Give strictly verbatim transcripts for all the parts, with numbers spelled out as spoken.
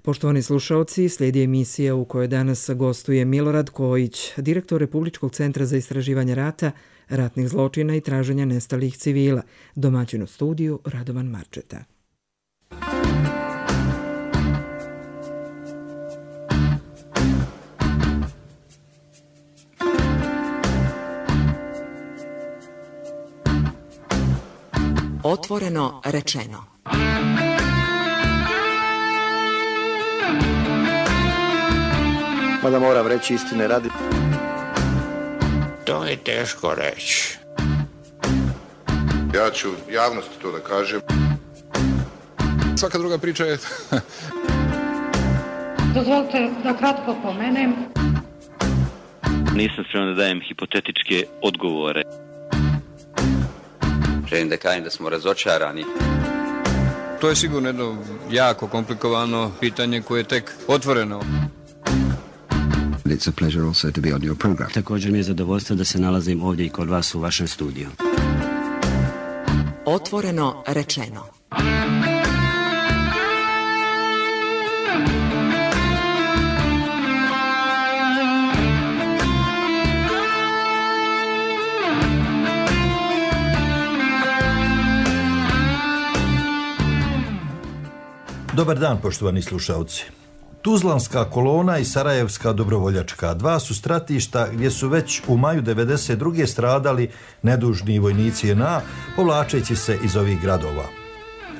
Poštovani slušaoci, slijedi emisija u kojoj danas gostuje Milorad Kojić, direktor Republičkog centra za istraživanje rata, ratnih zločina i traženja nestalih civila, domaćin u studiju Radovan Marčeta. Otvoreno rečeno. Mada moram reći istine radi. To je teško reći. Ja ću javnosti to da kažem. Svaka druga priča je... Dozvolite da kratko pomenem. Nisam spreman da dajem hipotetičke odgovore. Želim da kažem da smo razočarani. To je sigurno jedno jako komplikovano pitanje koje je tek otvoreno. It's a pleasure also to be on your program. Također mi je zadovoljstvo da se nalazim ovdje i kod vas u vašem studiju. Otvoreno rečeno. Dobar dan, poštovani slušalci. Tuzlanska kolona i Sarajevska dobrovoljačka, dva su stratišta gdje su već u maju devedeset druge stradali nedužni vojnici J N A, povlačeći se iz ovih gradova.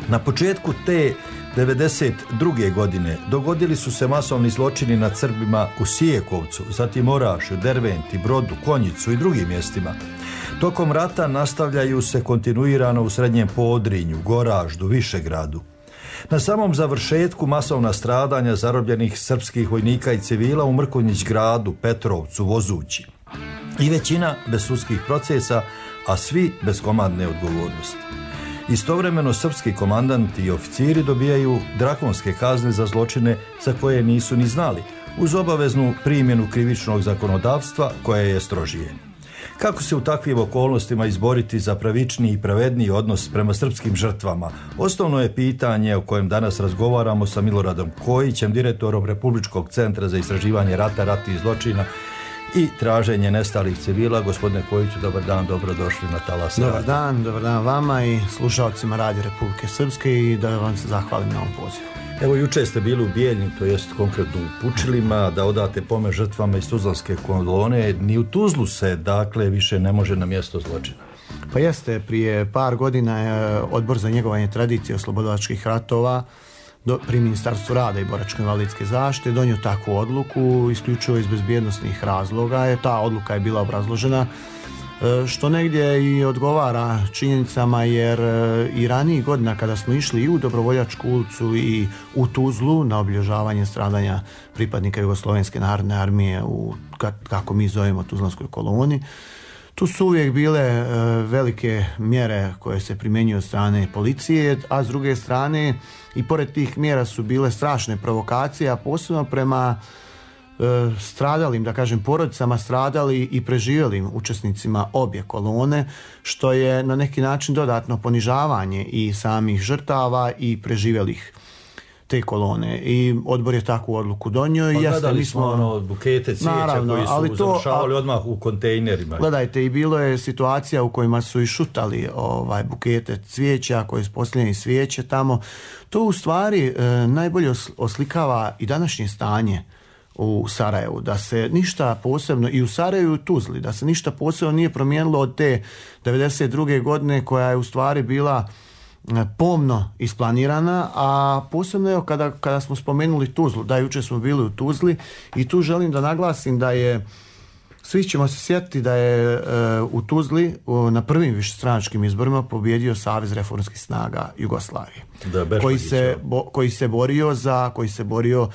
Na početku te devedeset druge godine dogodili su se masovni zločini nad Srbima u Sijekovcu, zatim Orašju, Derventi, Brodu, Konjicu i drugim mjestima. Tokom rata nastavljaju se kontinuirano u Srednjem Podrinju, Goraždu, Višegradu. Na samom završetku masovna stradanja zarobljenih srpskih vojnika i civila u Mrkonjić gradu, Petrovcu, Vozući. I većina bez sudskih procesa, a svi bez komandne odgovornosti. Istovremeno srpski komandanti i oficiri dobijaju drakonske kazne za zločine za koje nisu ni znali, uz obaveznu primjenu krivičnog zakonodavstva koje je strožije. Kako se u takvim okolnostima izboriti za pravičniji i pravedniji odnos prema srpskim žrtvama? Osnovno je pitanje o kojem danas razgovaramo sa Miloradom Kojićem, direktorom Republičkog centra za istraživanje rata, ratnih zločina i traženje nestalih civila. Gospodine Kojiću, dobar dan, dobrodošli na Talas Radio. Dobar dan, dobar dan vama i slušalcima Radio Republike Srpske i da vam se zahvalim na ovom pozivu. Evo, juče ste bili u Bijeljni, to jest konkretno u Pučilima, da odate pomen žrtvama iz Tuzlanske kolone. Ni u Tuzlu se, dakle, više ne može na mjesto zločina. Pa jeste, prije par godina je Odbor za njegovanje tradicije oslobodilačkih ratova do, pri Ministarstvu rada i boračko-invalidske zaštite donio takvu odluku, isključivo iz bezbjednosnih razloga. Je, ta odluka je bila obrazložena, što negdje i odgovara činjenicama, jer i ranijih godina kada smo išli i u Dobrovoljačku ulicu i u Tuzlu na obilježavanje stradanja pripadnika Jugoslovenske narodne armije u, kako mi zovemo, Tuzlanskoj koloni, tu su uvijek bile velike mjere koje se primjenjuju od strane policije, a s druge strane i pored tih mjera su bile strašne provokacije, a posebno prema stradalim, da kažem, porodicama stradali i preživjelim učesnicima obje kolone, što je na neki način dodatno ponižavanje i samih žrtava i preživjelih te kolone. I odbor je takvu odluku donio. Pa i gledali mi smo ono, bukete cvijeća, naravno, koji su ali to, završavali a, odmah u kontejnerima. Gledajte, i bilo je situacija u kojima su i šutali ovaj, bukete cvijeća koji su postavljeni svijeće tamo. To u stvari e, najbolje oslikava i današnje stanje u Sarajevu, da se ništa posebno, i u Sarajevu i u Tuzli, da se ništa posebno nije promijenilo od te devedeset druge godine koja je u stvari bila pomno isplanirana, a posebno je kada, kada smo spomenuli Tuzlu, da jučer smo bili u Tuzli i tu želim da naglasim da je, svi ćemo se sjetiti da je uh, u Tuzli uh, na prvim višestranačkim izborima pobjedio Savez reformskih snaga Jugoslavije, da, koji, se, bo, koji se borio za, koji se borio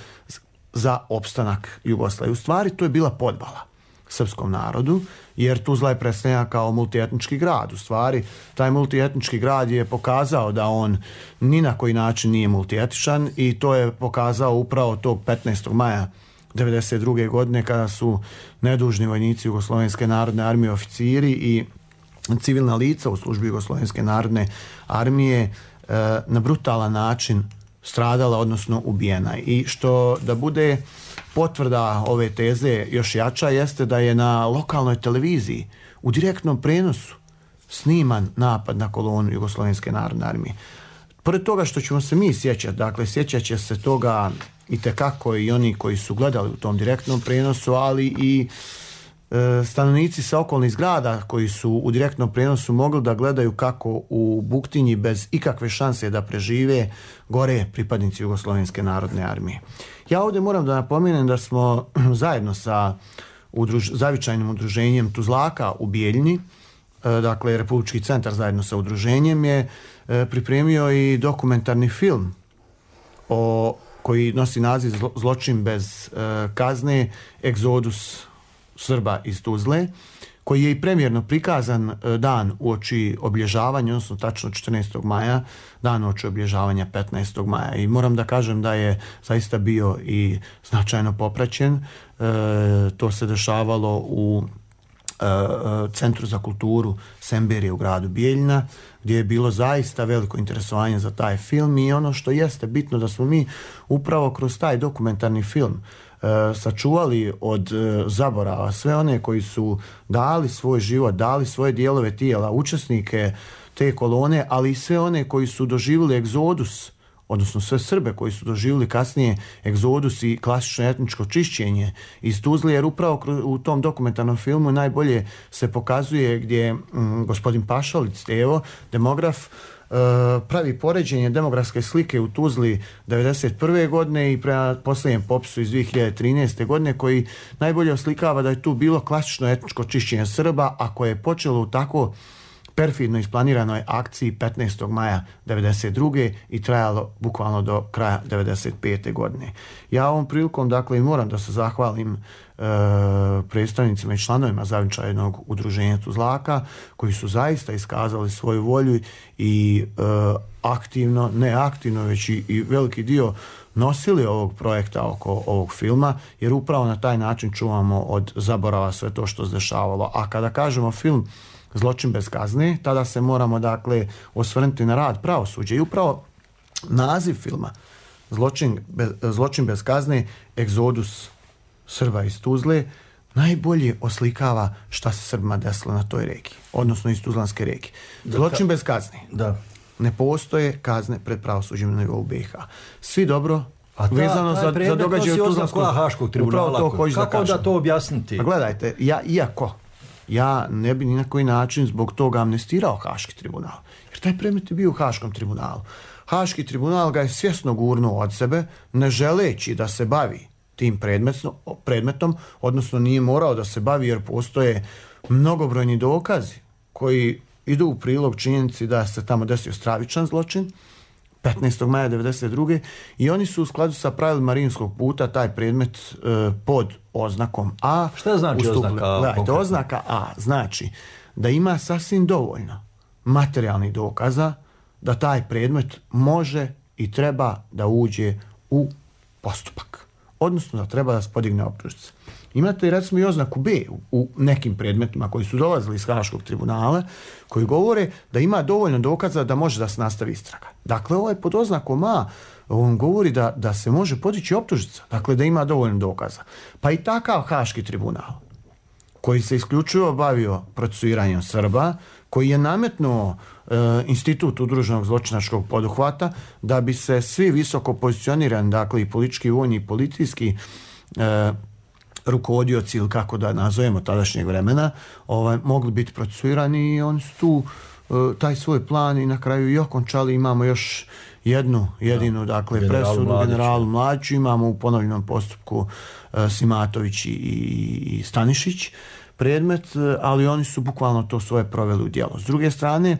za opstanak Jugoslavije. U stvari to je bila podvala srpskom narodu, jer Tuzla je predstavljena kao multietnički grad. U stvari taj multietnički grad je pokazao da on ni na koji način nije multietničan i to je pokazao upravo tog petnaestog maja devedeset druge godine kada su nedužni vojnici Jugoslovenske narodne armije, oficiri i civilna lica u službi Jugoslovenske narodne armije na brutalan način stradala, odnosno ubijena. I što da bude potvrda ove teze još jača jeste da je na lokalnoj televiziji u direktnom prenosu sniman napad na kolonu Jugoslovenske narodne armije. Pored toga što ćemo se mi sjećati, dakle sjećat će se toga itekako i oni koji su gledali u tom direktnom prenosu, ali i e, stanovnici sa okolnih zgrada koji su u direktnom prenosu mogli da gledaju kako u Buktinji bez ikakve šanse da prežive gore pripadnici Jugoslovenske narodne armije. Ja ovdje moram da napomenem da smo zajedno sa udruž, zavičajnim udruženjem Tuzlaka u Bijeljni, e, dakle Republički centar zajedno sa udruženjem je e, pripremio i dokumentarni film o koji nosi naziv Zločin bez e, kazne, egzodus Srba iz Tuzle, koji je i premijerno prikazan e, dan uoči obilježavanja, odnosno tačno četrnaestog maja, dan uoči obilježavanja petnaestog maja. I moram da kažem da je zaista bio i značajno popraćen. E, to se dešavalo u Centru za kulturu Semberije u gradu Bijeljina, gdje je bilo zaista veliko interesovanje za taj film i ono što jeste bitno da smo mi upravo kroz taj dokumentarni film e, sačuvali od e, zaborava sve one koji su dali svoj život, dali svoje dijelove tijela, učesnike te kolone, ali i sve one koji su doživjeli egzodus, odnosno sve Srbe koji su doživjeli kasnije egzodus i klasično etničko čišćenje iz Tuzle, jer upravo u tom dokumentarnom filmu najbolje se pokazuje gdje mm, gospodin Pašalić Stevo, demograf, e, pravi poređenje demografske slike u Tuzli devedeset prve godine i prema posljednjem popisu iz dvije hiljade trinaeste godine, koji najbolje oslikava da je tu bilo klasično etničko čišćenje Srba, a koje je počelo u tako perfidno isplaniranoj akciji petnaestog maja devedeset druge i trajalo bukvalno do kraja devedeset pete godine. Ja ovom prilikom dakle moram da se zahvalim e, predstavnicima i članovima zavičajnog udruženja Tuzlaka koji su zaista iskazali svoju volju i e, aktivno, ne aktivno, već i, i veliki dio nosili ovog projekta oko ovog filma, jer upravo na taj način čuvamo od zaborava sve to što se dešavalo. A kada kažemo film Zločin bez kazne, tada se moramo dakle osvrnuti na rad pravosuđa i upravo naziv filma Zločin bez, Zločin bez kazne, egzodus Srba iz Tuzle, najbolje oslikava šta se Srbima desilo na toj regiji, odnosno iz Tuzlanske regije. Zločin bez kazne. Da. Ne postoje kazne pred pravosuđem na nivou B i H. Svi dobro a ta, vezano za, za događaje u Tuzlanskom Haškog tribunala. To kako da, da to objasniti? Pa gledajte, ja, iako ja ne bi ni na koji način zbog toga amnestirao Haški tribunal. Jer taj predmet je bio u Haškom tribunalu. Haški tribunal ga je svjesno gurnuo od sebe, ne želeći da se bavi tim predmetom, predmetom, odnosno nije morao da se bavi jer postoje mnogobrojni dokazi koji idu u prilog činjenici da se tamo desio stravičan zločin petnaestog maja devedeset druge i oni su u skladu sa pravilima Rimskog puta taj predmet e, pod oznakom A. Šta znači ustupili. Oznaka A? Gledajte, oznaka A znači da ima sasvim dovoljno materijalnih dokaza da taj predmet može i treba da uđe u postupak. Odnosno da treba da se podigne optužnica. Imate recimo i oznaku B u, u nekim predmetima koji su dolazili iz Haškog tribunala koji govore da ima dovoljno dokaza da može da se nastavi istraga. Dakle, ovo je pod oznakom A, on govori da, da se može podići optužnica, dakle da ima dovoljno dokaza. Pa i takav Haški tribunal koji se isključivo bavio procesuiranjem Srba, koji je nametnuo e, institut udruženog zločinačkog poduhvata da bi se svi visoko pozicionirani, dakle i politički, vojni i policijski e, rukovodioci ili kako da nazovemo tadašnjeg vremena, ovaj, mogli biti procesuirani i oni su tu e, taj svoj plan i na kraju i okončali. Imamo još jednu jedinu, da, dakle, generalu presudu Mladiću. generalu Mladiću, imamo u ponovljenom postupku e, Simatović i, i Stanišić predmet, ali oni su bukvalno to svoje proveli u djelo. S druge strane,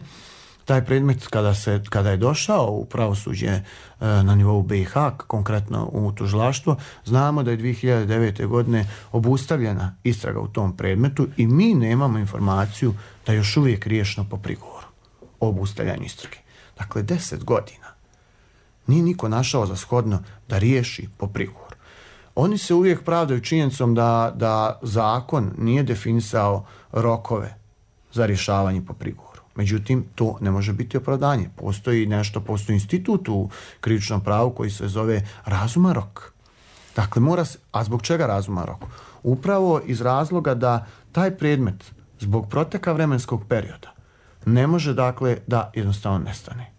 taj predmet kada, se, kada je došao u pravosuđe e, na nivou B i H, konkretno u tužilaštvo, znamo da je dvije hiljade devete. godine obustavljena istraga u tom predmetu i mi nemamo informaciju da je još uvijek riješeno po prigovoru o obustavljanju istrage. Dakle, deset godina nije niko našao za shodno da riješi po prigovoru. Oni se uvijek pravdaju činjenicom da, da zakon nije definisao rokove za rješavanje po prigovoru. Međutim, to ne može biti opravdanje. Postoji nešto, postoji institut u krivičnom pravu koji se zove razuman rok. Dakle, mora se, a zbog čega razuman rok? Upravo iz razloga da taj predmet zbog proteka vremenskog perioda ne može, dakle, da jednostavno nestane.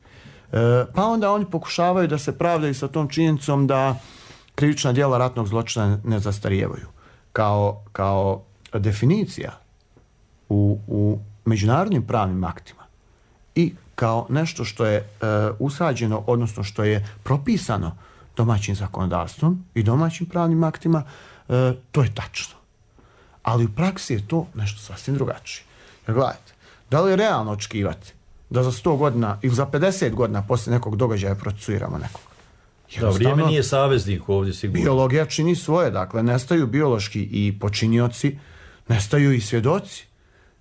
E, pa onda oni pokušavaju da se pravdaju sa tom činjenicom da krivična djela ratnog zločina ne zastarijevaju. Kao, kao definicija u, u međunarodnim pravnim aktima i kao nešto što je e, usađeno, odnosno što je propisano domaćim zakonodavstvom i domaćim pravnim aktima, e, to je tačno. Ali u praksi je to nešto sasvim drugačije. Jer gledajte, da li je realno očekivati da za sto godina ili za pedeset godina poslije nekog događaja procesuiramo nekog? Da, vrijeme nije saveznik ovdje sigurno. Biologija čini svoje, dakle, nestaju biološki i počinioci, nestaju i svjedoci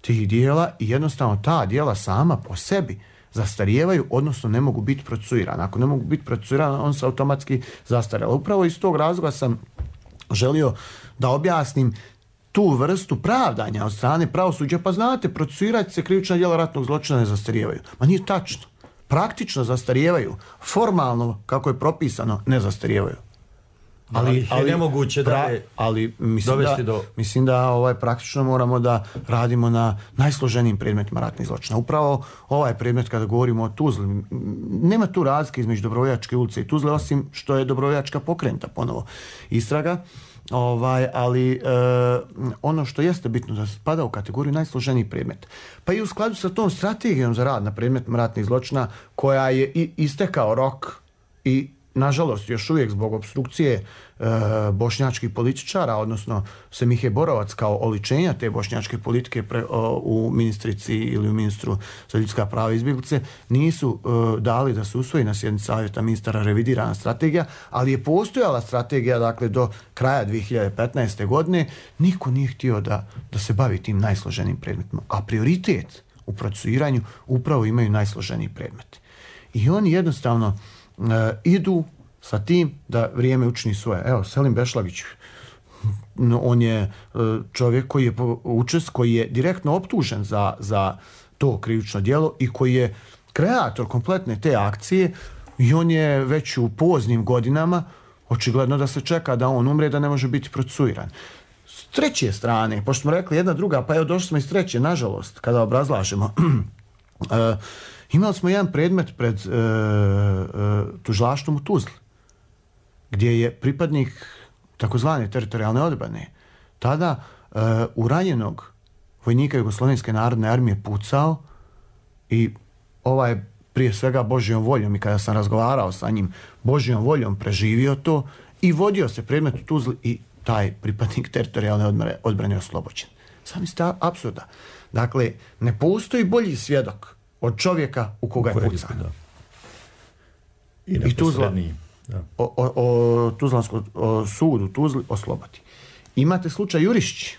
tih dijela i jednostavno ta dijela sama po sebi zastarijevaju, odnosno ne mogu biti procesuirane. Ako ne mogu biti procesuirane, on se automatski zastarjela. Upravo iz tog razloga sam želio da objasnim tu vrstu pravdanja od strane pravosuđa. Pa znate, procesuirati se krivična djela ratnog zločina ne zastarijevaju. Ma nije tačno. Praktično zastarijevaju. Formalno, kako je propisano, ne zastarijevaju. Ali, ali je nemoguće da je ali mislim da, do... mislim da ovaj, praktično moramo da radimo na najsloženijim predmetima ratnih zločina. Upravo ovaj predmet, kada govorimo o Tuzli, nema tu razlike između Dobrovoljačke ulice i Tuzle, osim što je Dobrovoljačka pokrenuta ponovo istraga. Ovaj, ali e, ono što jeste bitno da spada u kategoriju najsloženiji predmet. Pa i u skladu sa tom strategijom za rad na predmetima ratnih zločina, koja je i istekao rok i nažalost još uvijek zbog obstrukcije e, bošnjačkih političara, odnosno Semihe Borovac kao oličenja te bošnjačke politike pre, o, u ministrici ili u ministru za ljudska prava i izbjeglice, nisu e, dali da se usvoji na sjednici savjeta ministara revidirana strategija, ali je postojala strategija, dakle, do kraja dvije hiljade petnaeste. godine. Niko nije htio da, da se bavi tim najsloženim predmetima, a prioritet u procesuiranju upravo imaju najsloženiji predmeti. I oni jednostavno Uh, idu sa tim da vrijeme učini svoje. Evo, Selim Bešlagić, on je uh, čovjek koji je učest, koji je direktno optužen za, za to krivično djelo i koji je kreator kompletne te akcije i on je već u poznim godinama, očigledno da se čeka da on umre, da ne može biti procesuiran. S treće strane, pošto smo rekli jedna druga, pa evo došli smo iz treće, nažalost, kada obrazlažemo, uh, imali smo jedan predmet pred e, e, tužilaštvom u Tuzli, gdje je pripadnik takozvane teritorijalne odbrane tada e, u ranjenog vojnika Jugoslovenske narodne armije pucao i ovaj prije svega Božjom voljom, i kada sam razgovarao sa njim, Božjom voljom preživio to i vodio se predmet u Tuzli i taj pripadnik teritorijalne odbrane oslobođen. Sami ste apsurda. Dakle, ne postoji bolji svjedok od čovjeka u koga je pucan. I, I Tuzla, o, o, o Tuzlanskom sudu Tuzli oslobodi. Imate slučaj Jurišić,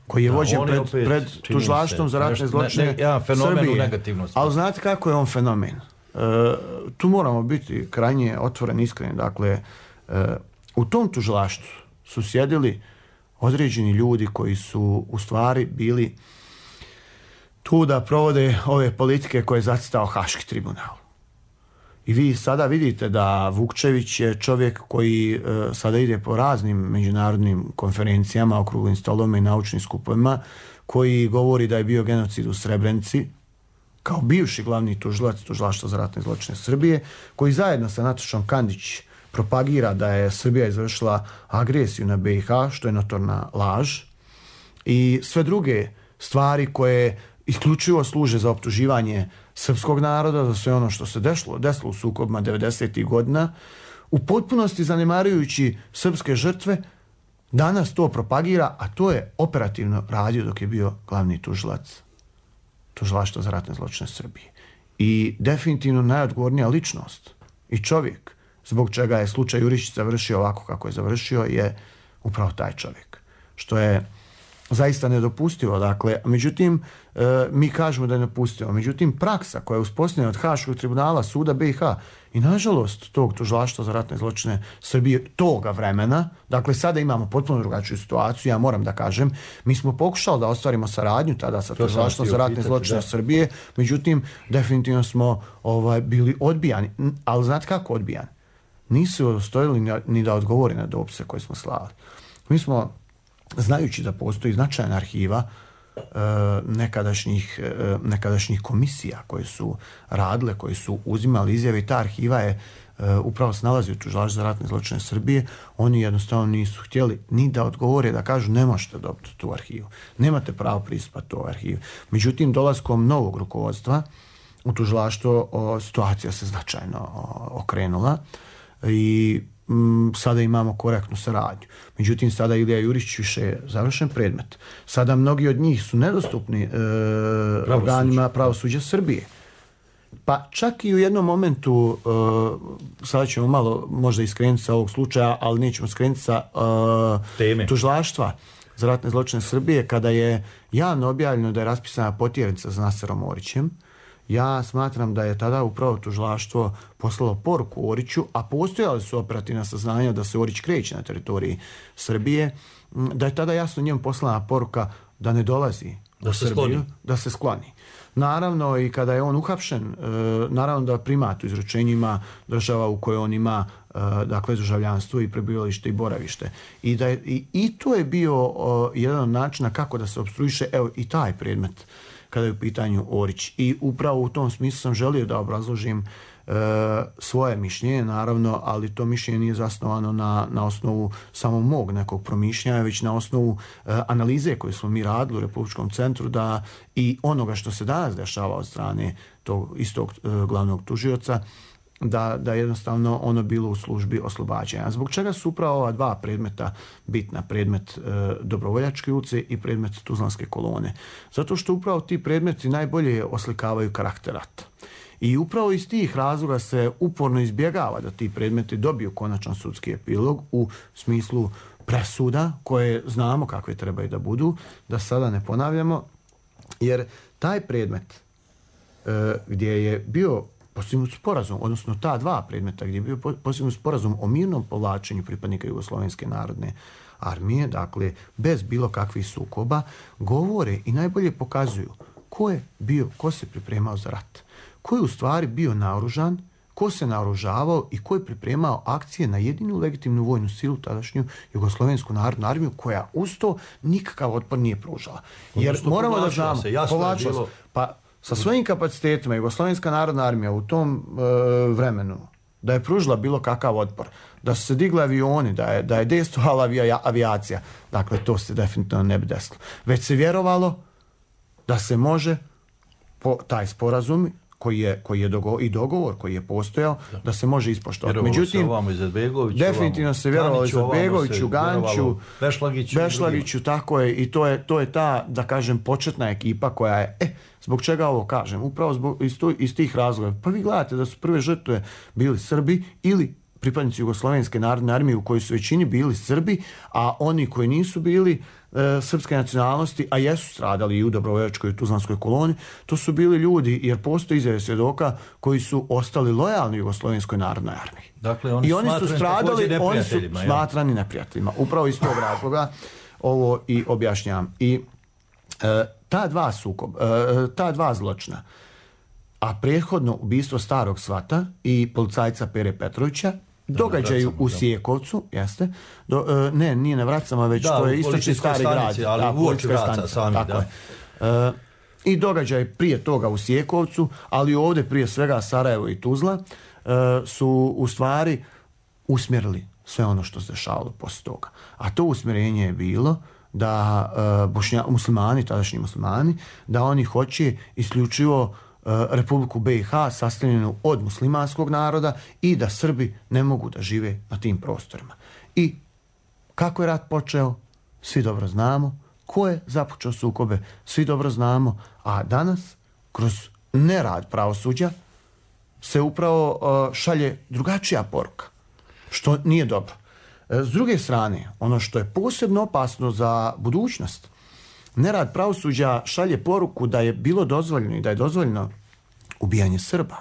koji je da, vođen pred, opet, pred tužilaštvom za ratne zločine ne, ne, ja, Srbije. Ali znate kako je on fenomen? E, tu moramo biti krajnje otvoreni, iskreni. Dakle, e, u tom tužilaštvu su sjedili određeni ljudi koji su u stvari bili tu da provode ove politike koje je zacitao Haški tribunal. I vi sada vidite da Vukčević je čovjek koji e, sada ide po raznim međunarodnim konferencijama, okruglim stolovima i naučnim skupovima, koji govori da je bio genocid u Srebrenici, kao bivši glavni tužilac Tužilaštva za ratne zločine Srbije, koji zajedno sa Natašom Kandić propagira da je Srbija izvršila agresiju na B i H, što je notorna laž, i sve druge stvari koje isključivo služe za optuživanje srpskog naroda, za sve ono što se desilo, desilo u sukobima devedesetih godina, u potpunosti zanemarujući srpske žrtve, danas to propagira, a to je operativno radio dok je bio glavni tužilac Tužilaštva za ratne zločine Srbije. I definitivno najodgovornija ličnost i čovjek zbog čega je slučaj Jurišić završio ovako kako je završio je upravo taj čovjek. Što je zaista nedopustivo. Dakle, međutim, e, mi kažemo da je nedopustivo. Međutim, praksa koja je uspostavljena od Haškog tribunala Suda B i H i nažalost tog tužilaštva za ratne zločine Srbije toga vremena, dakle sada imamo potpuno drugačiju situaciju, ja moram da kažem, mi smo pokušali da ostvarimo saradnju tada sa tužilaštvom za ratne zločine Srbije, međutim, definitivno smo ovaj, bili odbijani. Ali znate kako odbijani? Nisu udostojili ni da odgovori na dopise koje smo slali. Mi smo, znajući da postoji značajna arhiva e, nekadašnjih, e, nekadašnjih komisija koje su radile, koje su uzimali izjave i ta arhiva je e, upravo se nalazi u tužilaštvu za ratne zločine Srbije, oni jednostavno nisu htjeli ni da odgovore, da kažu ne možete dobiti tu arhivu, nemate pravo pristupa tu arhivu. Međutim, dolaskom novog rukovodstva u tužilaštvo o, situacija se značajno o, okrenula i sada imamo korektnu saradnju. Međutim, sada Ilija Jurić više je završen predmet. Sada mnogi od njih su nedostupni e, organima pravosuđa Srbije. Pa čak i u jednom momentu, e, sada ćemo malo možda iskrenuti sa ovog slučaja, ali nećemo skrenuti sa e, tužilaštva za ratne zločine Srbije, kada je javno objavljeno da je raspisana potjernica za Naserom Orićem. Ja smatram da je tada upravo tužilaštvo poslalo poruku Oriću, a postojale su operativna saznanja da se Orić kreće na teritoriji Srbije, da je tada jasno njemu poslana poruka da ne dolazi da u se Srbiju, skloni. da se skloni. Naravno, i kada je on uhapšen, naravno da primat u izručenjima država u kojoj on ima dakle državljanstvo i prebivalište i boravište. I, da je, i, i to je bio jedan od načina kako da se opstruiše, evo i taj predmet kada je u pitanju Orić. I upravo u tom smislu sam želio da obrazložim e, svoje mišljenje, naravno, ali to mišljenje nije zasnovano na, na osnovu samo mog nekog promišljanja, već na osnovu e, analize koju smo mi radili u Republičkom centru da i onoga što se danas dešava od strane tog istog e, glavnog tužioca, da, da jednostavno ono bilo u službi oslobađanja. Zbog čega su upravo ova dva predmeta bitna, predmet e, Dobrovoljačke ulice i predmet Tuzlanske kolone? Zato što upravo ti predmeti najbolje oslikavaju karakter rata. I upravo iz tih razloga se uporno izbjegava da ti predmeti dobiju konačan sudski epilog u smislu presuda koje znamo kakve trebaju da budu, da sada ne ponavljamo, jer taj predmet e, gdje je bio postignut sporazum, odnosno ta dva predmeta gdje je bio postignut sporazum o mirnom povlačenju pripadnika Jugoslovenske narodne armije, dakle bez bilo kakvih sukoba, govore i najbolje pokazuju ko je bio, ko se pripremao za rat, ko je u stvari bio naoružan, ko se naoružavao i ko je pripremao akcije na jedinu legitimnu vojnu silu, tadašnju Jugoslovensku narodnu armiju, koja uz to nikakav otpor nije pružala. Jer odnosno, moramo da znamo, povlačila se, pa sa svojim kapacitetima Jugoslovenska narodna armija u tom e, vremenu da je pružila bilo kakav otpor, da su se digli avioni, da je, da je dejstvovala avija, avijacija, dakle to se definitivno ne bi desilo. Već se vjerovalo da se može po taj sporazum koji je, koji je dogo, i dogovor koji je postojao, da, da se može ispoštovati. Međutim, definitivno se vjerovalo Izetbegoviću, Ganču, Bešlagiću, Bešlagiću, tako je, i to je, to je ta, da kažem, početna ekipa koja je, e, zbog čega ovo kažem? Upravo zbog, iz, tu, iz tih razloga. Pa vi gledate da su prve žrtve bili Srbi ili pripadnici Jugoslovenske narodne armije u kojoj su većini bili Srbi, a oni koji nisu bili e, srpske nacionalnosti, a jesu stradali i u Dobrovoljačkoj i Tuzlanskoj koloni, to su bili ljudi, jer postoji izjave svjedoka koji su ostali lojalni Jugoslovenskoj narodnoj armiji. Dakle, oni I oni su stradali, oni su ja. smatrani neprijateljima. Upravo iz tog razloga ovo i objašnjavam. I e, ta dva sukob, e, ta dva zločina, a prethodno ubistvo starog svata i policajca Pere Petrovića, događaju u Sijekovcu, jeste, do, uh, ne, nije na Vracama, već da, to je istočni stari stanici, grad. Ali da, uoči Vraca sami, tako da. Uh, I događaj prije toga u Sijekovcu, ali ovdje prije svega Sarajevo i Tuzla, uh, su u stvari usmjerili sve ono što se dešavalo poslije toga. A to usmjerenje je bilo da uh, bošnja, muslimani, tadašnji muslimani, da oni hoće isključivo Republiku B i H sastavljenu od muslimanskog naroda i da Srbi ne mogu da žive na tim prostorima. I kako je rat počeo, svi dobro znamo. Ko je započeo sukobe, svi dobro znamo. A danas, kroz nerad pravosuđa, se upravo uh, šalje drugačija poruka, što nije dobro. S druge strane, ono što je posebno opasno za budućnost, nerad pravosuđa šalje poruku da je bilo dozvoljeno i da je dozvoljeno ubijanje Srba.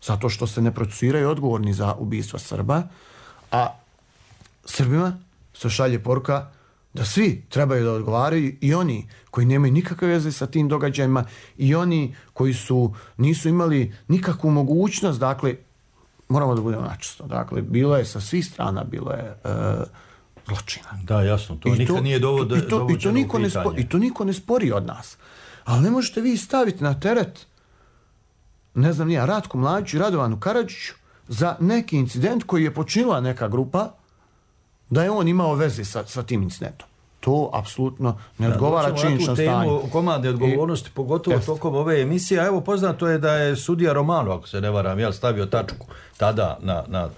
Zato što se ne procesuiraju odgovorni za ubistva Srba, a Srbima se šalje poruka da svi trebaju da odgovaraju, i oni koji nemaju nikakve veze sa tim događajima, i oni koji su nisu imali nikakvu mogućnost. Dakle, moramo da budemo načisto. Dakle, bilo je sa svih strana, bilo je e, zločina. Da, jasno, to I nikad to, nije dovode, i to, i to niko ne spo, I to niko ne spori od nas. Ali ne možete vi staviti na teret, ne znam nija, Ratku Mladiću i Radovanu Karadžiću za neki incident koji je počinila neka grupa, da je on imao veze sa, sa tim incidentom. To apsolutno ne odgovara činjeničnom stanju. Komandne odgovornosti, I, pogotovo jest. tokom ove emisije. A evo, poznato je da je sudija Romano, ako se ne varam, jel, stavio tačku tada na, na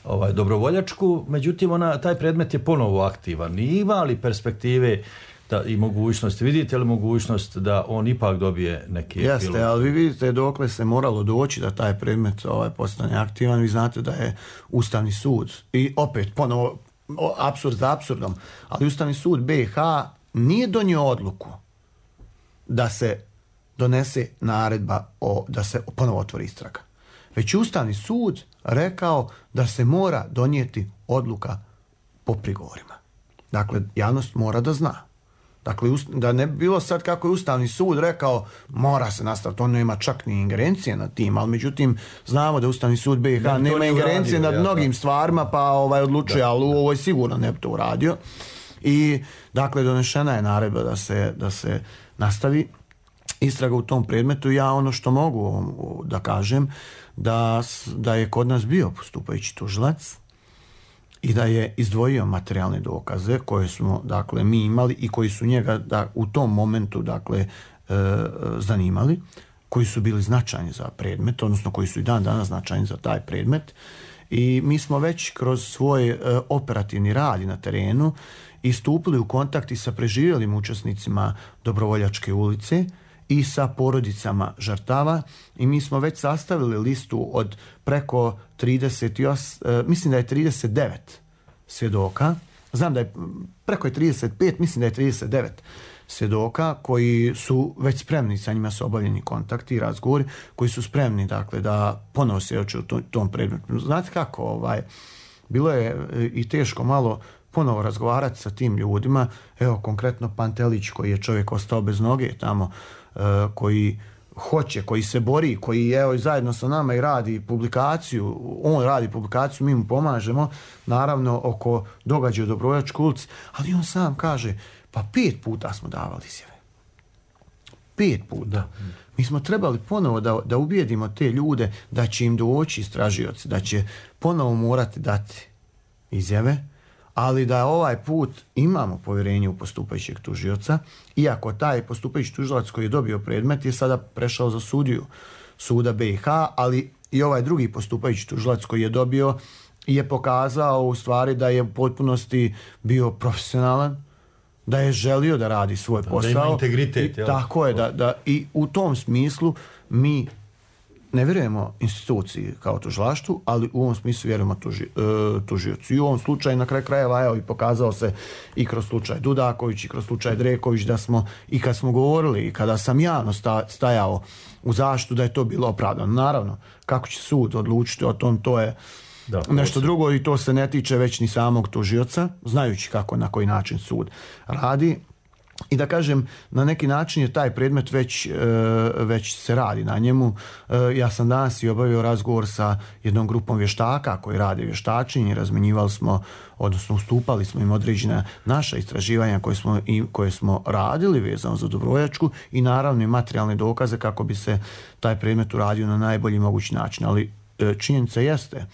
ovaj, dobrovoljačku, međutim ona, taj predmet je ponovo aktivan. I ima li perspektive da, i mogućnosti, vidite li mogućnost da on ipak dobije neki Jeste, pilot? ali vi vidite dokle se moralo doći da taj predmet ovaj, postane aktivan. Vi znate da je Ustavni sud, i opet ponovo apsurd za apsurdom, ali Ustavni sud B i H nije donio odluku da se donese naredba o, da se ponovo otvori istraga. Već Ustavni sud rekao da se mora donijeti odluka po prigovorima. Dakle, javnost mora da zna. Dakle, da ne bi bilo sad kako je Ustavni sud rekao mora se nastaviti, on nema čak ni ingerencije nad tim, ali međutim znamo da Ustavni sud B i H ne, nema ingerencije uradio, nad ja, mnogim stvarima, pa ovaj odlučuje, da, ali u ovoj sigurno ne bi to uradio. I dakle, donešena je naredba da se, da se nastavi istraga u tom predmetu. Ja ono što mogu da kažem, da, da je kod nas bio postupajući tužilac i da je izdvojio materijalne dokaze koje smo, dakle, mi imali i koji su njega da, u tom momentu, dakle, e, zanimali, koji su bili značajni za predmet, odnosno koji su i dan danas značajni za taj predmet. I mi smo već kroz svoj e, operativni rad na terenu istupili u kontakt i sa preživjelim učesnicima Dobrovoljačke ulice i sa porodicama žrtava, i mi smo već sastavili listu od preko trideset osam, mislim da je trideset devet svjedoka, znam da je preko je trideset pet, mislim da je trideset devet svjedoka koji su već spremni, sa njima su obavljeni kontakti i razgovori, koji su spremni, dakle, da ponovo svjedoče u tom, tom predmetu. Znate kako, ovaj, bilo je i teško malo ponovo razgovarati sa tim ljudima. Evo, konkretno Pantelić, koji je čovjek ostao bez noge tamo, koji hoće, koji se bori, koji evo zajedno sa nama i radi publikaciju, on radi publikaciju, mi mu pomažemo, naravno, oko događaja u Dobrovoljačkoj ulici, ali on sam kaže, pa pet puta smo davali izjave. Pet puta. Da. Mi smo trebali ponovo da, da ubijedimo te ljude da će im doći istražioci, da će ponovo morati dati izjave, ali da ovaj put imamo povjerenje u postupajućeg tužioca, iako taj postupajući tužilac koji je dobio predmet je sada prešao za sudiju suda B i H, ali i ovaj drugi postupajući tužilac koji je dobio je pokazao u stvari da je u potpunosti bio profesionalan, da je želio da radi svoj posao. Da ima integritet. I, tako je, da, da, i u tom smislu mi ne vjerujemo instituciji kao tužilaštvu, ali u ovom smislu vjerujemo tuži, uh, tužiocu. I u ovom slučaju, na kraju krajeva, evo, i pokazao se i kroz slučaj Dudaković i kroz slučaj Dreković, da smo, i kad smo govorili, i kada sam javno sta, stajao u zaštitu, da je to bilo opravdano. Naravno, kako će sud odlučiti o tom, to je da, nešto se... drugo, i to se ne tiče već ni samog tužioca, znajući kako, na koji način sud radi. I da kažem, na neki način je taj predmet već, već se radi na njemu. Ja sam danas i obavio razgovor sa jednom grupom vještaka koji rade vještačenje, razmenjivali smo, odnosno ustupali smo im određena naša istraživanja koje smo, i, koje smo radili vezano za Dobrovoljačku, i naravno i materijalne dokaze kako bi se taj predmet uradio na najbolji mogući način. Ali činjenica jeste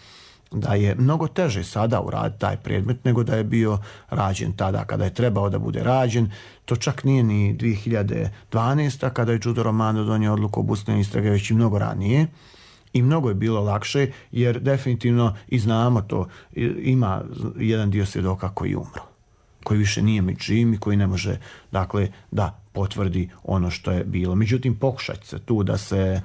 da je mnogo teže sada uraditi taj predmet nego da je bio rađen tada kada je trebao da bude rađen. To čak nije ni dvije hiljade dvanaeste. kada je Đuro Romano donio odluku o obustavljanju istrage, već i mnogo ranije. I mnogo je bilo lakše, jer definitivno, i znamo to, ima jedan dio svjedoka koji je umro, koji više nije među živim i koji ne može, dakle, da potvrdi ono što je bilo. Međutim, pokušat se tu da se,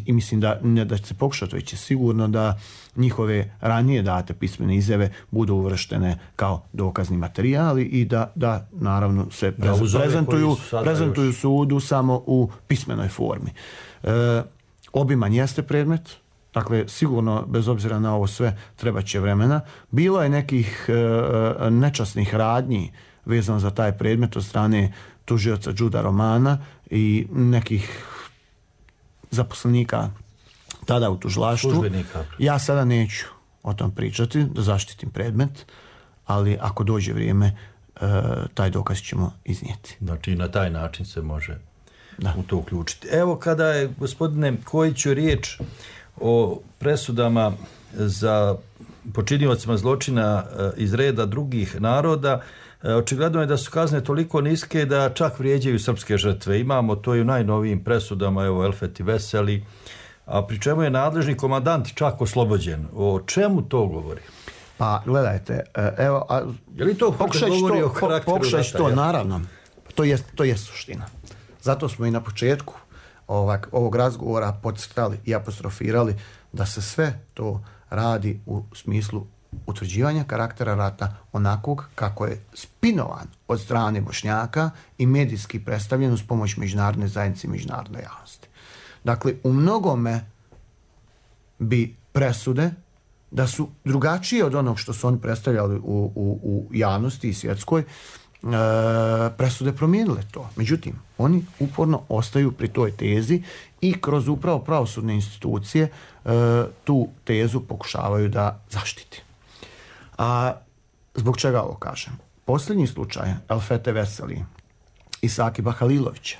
i mislim da ne da će se pokušati, već je sigurno da njihove ranije date pismene izjave budu uvrštene kao dokazni materijali i da, da naravno se Da, uz ove prezentuju, koji su sada prezentuju još- sudu samo u pismenoj formi. E, obiman jeste predmet, dakle sigurno bez obzira na ovo sve treba će vremena. Bilo je nekih e, nečasnih radnji vezano za taj predmet od strane tužioca Đuda Romana i nekih zaposlenika tada u tužilaštvu. Službenika. Ja sada neću o tom pričati, da zaštitim predmet, ali ako dođe vrijeme, e, taj dokaz ćemo iznijeti. Znači na taj način se može Da. u to uključiti. Evo kada je, gospodine Kojiću, riječ o presudama za počiniocima zločina e, iz reda drugih naroda, e, očigledno je da su kazne toliko niske da čak vrijeđaju srpske žrtve. Imamo to i u najnovijim presudama, evo Elfeti Veseli, a pri čemu je nadležni komandant čak oslobođen. O čemu to govori? Pa gledajte, e, evo, a, Je li to pokušaj govori to, o po- karakteru pokušaj rata, to, jel? naravno. To je, to je suština. Zato smo i na početku ovak, ovog razgovora podcrtali i apostrofirali da se sve to radi u smislu utvrđivanja karaktera rata onakvog kako je spinovan od strane Bošnjaka i medijski predstavljen uz pomoć međunarodne zajednice i međunarodne javnosti. Dakle, u mnogome bi presude da su drugačije od onog što su oni predstavljali u, u, u javnosti i svjetskoj, e, presude promijenile to. Međutim, oni uporno ostaju pri toj tezi i kroz upravo pravosudne institucije e, tu tezu pokušavaju da zaštiti. A zbog čega ovo kažem? Posljednji slučaj Elfete Veseli i Sakiba Halilovića,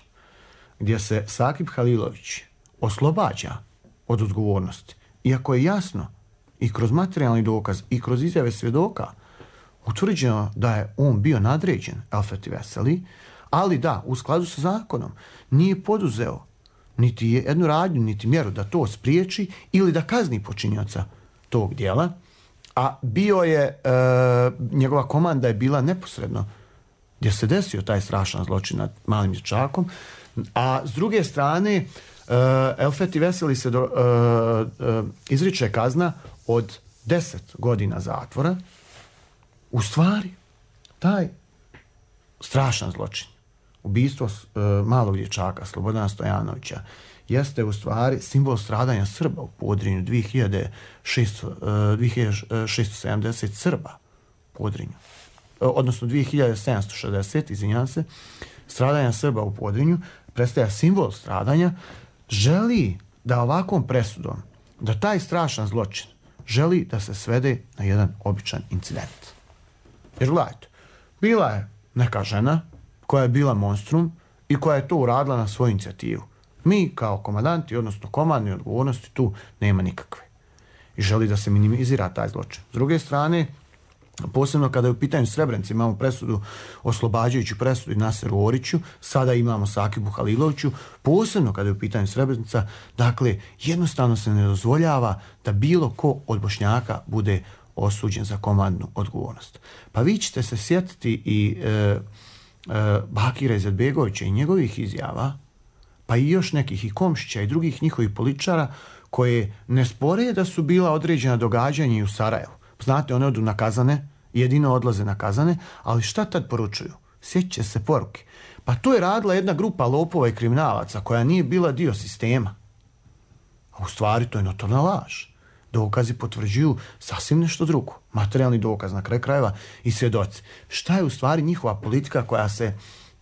gdje se Sakib Halilović oslobađa od odgovornosti, iako je jasno i kroz materijalni dokaz i kroz izjave svjedoka utvrđeno da je on bio nadređen Elfeti Veseli, ali da, u skladu sa zakonom nije poduzeo niti jednu radnju, niti mjeru da to spriječi ili da kazni počinioca tog dijela, a bio je, e, njegova komanda je bila neposredno gdje se desio taj strašan zločin nad malim dječakom, a s druge strane Uh, Elfeti Veseli se do, uh, uh, izriče kazna od deset godina zatvora. U stvari, taj strašan zločin, ubistvo uh, malog dječaka Slobodana Stojanovića, jeste u stvari simbol stradanja Srba u Podrinju, dvije hiljade šesto sedamdeset Srba u Podrinju, uh, odnosno dvije hiljade sedamsto šezdeset, izvinjam se, stradanja Srba u Podrinju, predstavlja simbol stradanja. Želi da ovakvom presudom, da taj strašan zločin želi da se svede na jedan običan incident. Jer gledajte, bila je neka žena koja je bila monstrum i koja je to uradila na svoju inicijativu. Mi kao komandanti, odnosno komandni odgovornosti, tu nema nikakve. I želi da se minimizira taj zločin. S druge strane, posebno kada je u pitanju Srebrenica, imamo presudu, oslobađajuću presudu Naseru Oriću, sada imamo Sakibu Haliloviću, posebno kada je u pitanju Srebrenica, dakle, jednostavno se ne dozvoljava da bilo ko od Bošnjaka bude osuđen za komandnu odgovornost. Pa vi ćete se sjetiti i e, e, Bakira Izetbegovića i njegovih izjava, pa i još nekih i Komšića i drugih njihovih političara koje ne spore da su bila određena događanja i u Sarajevu. Znate, one odu na kazane, jedino odlaze na kazane, ali šta tad poručuju? Sjećće se poruke. Pa to je radila jedna grupa lopova i kriminalaca koja nije bila dio sistema. A u stvari to je notorna laž. Dokazi potvrđuju sasvim nešto drugo. Materijalni dokaz na kraju krajeva i svjedoci. Šta je u stvari njihova politika koja se,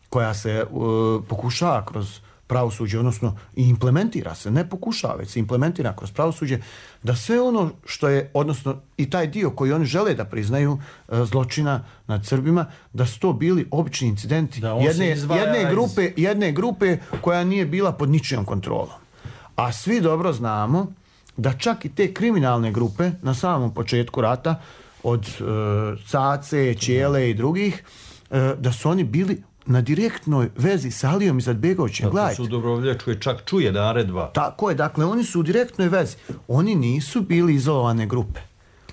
koja se uh, pokušava kroz pravosuđe, odnosno i implementira se, ne pokušava, već se implementira kroz pravosuđe, da sve ono što je, odnosno i taj dio koji oni žele da priznaju e, zločina nad Srbima, da su to bili obični incidenti jedne, jedne, grupe, jedne grupe koja nije bila pod ničijom kontrolom. A svi dobro znamo da čak i te kriminalne grupe na samom početku rata, od e, Cace, Ćele i drugih, e, da su oni bili na direktnoj vezi sa Alijom Izetbegovićem. Tako su u Dobrovoljačkoj čak čuje naredba. Tako je, dakle, oni su u direktnoj vezi. Oni nisu bili izolovane grupe.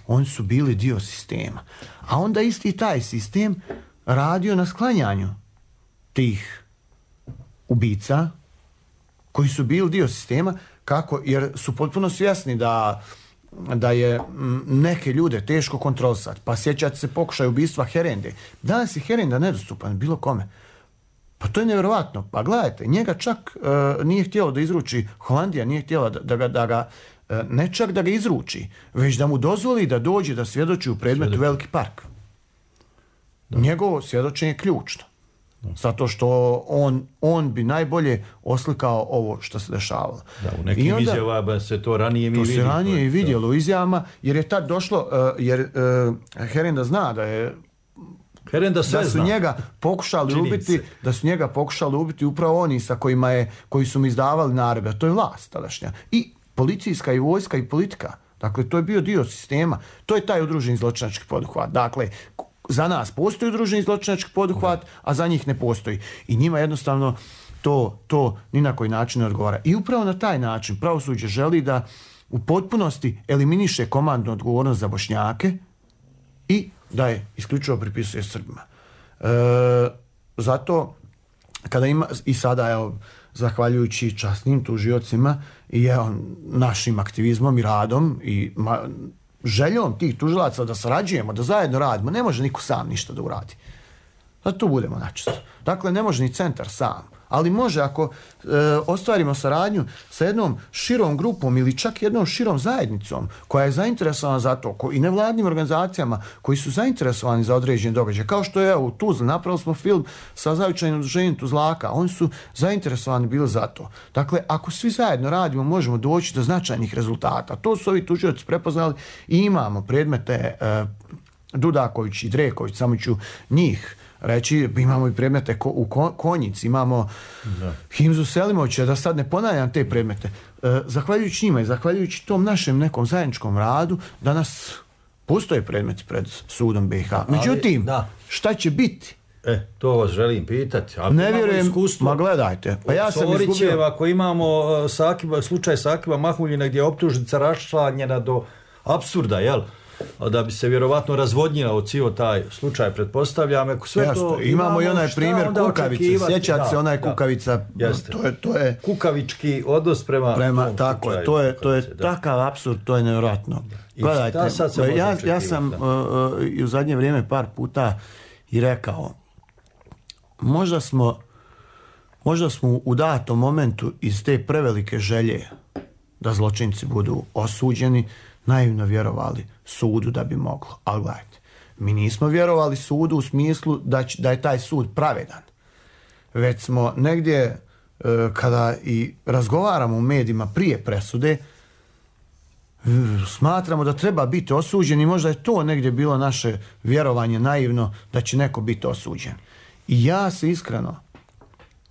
Oni su bili dio sistema. A onda isti taj sistem radio na sklanjanju tih ubica koji su bili dio sistema, kako, jer su potpuno svjesni da, da je neke ljude teško kontrolisati. Pa sjećate se pokušaj ubistva Herende. Danas je Herenda nedostupan bilo kome. Pa to je nevjerovatno. Pa gledajte, njega čak uh, nije htjelo da izruči, Holandija nije htjela da, da ga, da ga uh, ne čak da ga izruči, već da mu dozvoli da dođe da svjedoči u predmetu Svjedoči. Veliki park. Da. Njegovo svjedočenje je ključno. Da. Zato što on, on bi najbolje oslikao ovo što se dešavalo. Da, u nekim onda, izjavama se to ranije mi vidjelo. To se ranije i vidjelo u izjavama, jer je tad došlo, uh, jer uh, Herenda zna da je Herenda sve da su zna. njega pokušali Čini ubiti, se. da su njega pokušali ubiti upravo oni sa kojima je, koji su mu izdavali naredbe. To je vlast tadašnja. I policijska i vojska i politika. Dakle, to je bio dio sistema. To je taj udruženi zločinački poduhvat. Dakle, za nas postoji udruženi zločinački poduhvat, a za njih ne postoji. I njima jednostavno to, to ni na koji način ne odgovara. I upravo na taj način pravosuđe želi da u potpunosti eliminiše komandnu odgovornost za Bošnjake i da je isključivo pripisuje Srbima. E, zato kada ima i sada evo, zahvaljujući časnim tužiocima i evo, našim aktivizmom i radom i ma, željom tih tužilaca da sarađujemo, da zajedno radimo, ne može niko sam ništa da uradi. Zato budemo načisto. Dakle, ne može ni centar sam, ali može ako e, ostvarimo saradnju sa jednom širom grupom ili čak jednom širom zajednicom koja je zainteresovana za to ko, i nevladnim organizacijama koji su zainteresovani za određene događaje. Kao što je u Tuzli, napravili smo film sa zavičajnim udruženjem Tuzlaka, oni su zainteresovani bili za to. Dakle, ako svi zajedno radimo, možemo doći do značajnih rezultata. To su ovi tužioci prepoznali i imamo predmete e, Dudaković i Dreković, samo ću njih reći, imamo i predmete ko, u Konjici, imamo da. Himzu Selimovića, da sad ne ponavljam te predmete. E, zahvaljujući njima i zahvaljujući tom našem nekom zajedničkom radu, danas postoje predmeti pred sudom B i H. Međutim, ali, šta će biti? E, to vas želim pitati. Ako ne vjerujem, ma gledajte. Pa ja sam izgubio. Ako imamo Sakiba, slučaj Sakiba Mahmuljina gdje je optužnica raščlanjena do apsurda, jel? Da bi se vjerovatno razvodnjila od cijel taj slučaj, pretpostavljam. Ako sve Jasno, to, imamo, imamo i onaj primjer Kukavice. Sjećate se onaj Kukavica. To je, to je kukavički odnos prema... prema tako je, to je, to je da. takav apsurd, to je nevjerojatno. Gledajte, ja, ja sam uh, i u zadnje vrijeme par puta i rekao, možda smo, možda smo u datom momentu iz te prevelike želje da zločinci budu osuđeni, naivno vjerovali sudu da bi moglo. Ali gledajte, mi nismo vjerovali sudu u smislu da, će, da je taj sud pravedan. Već smo negdje, e, kada i razgovaramo u medijima prije presude, smatramo da treba biti osuđen i možda je to negdje bilo naše vjerovanje naivno da će neko biti osuđen. I ja se iskreno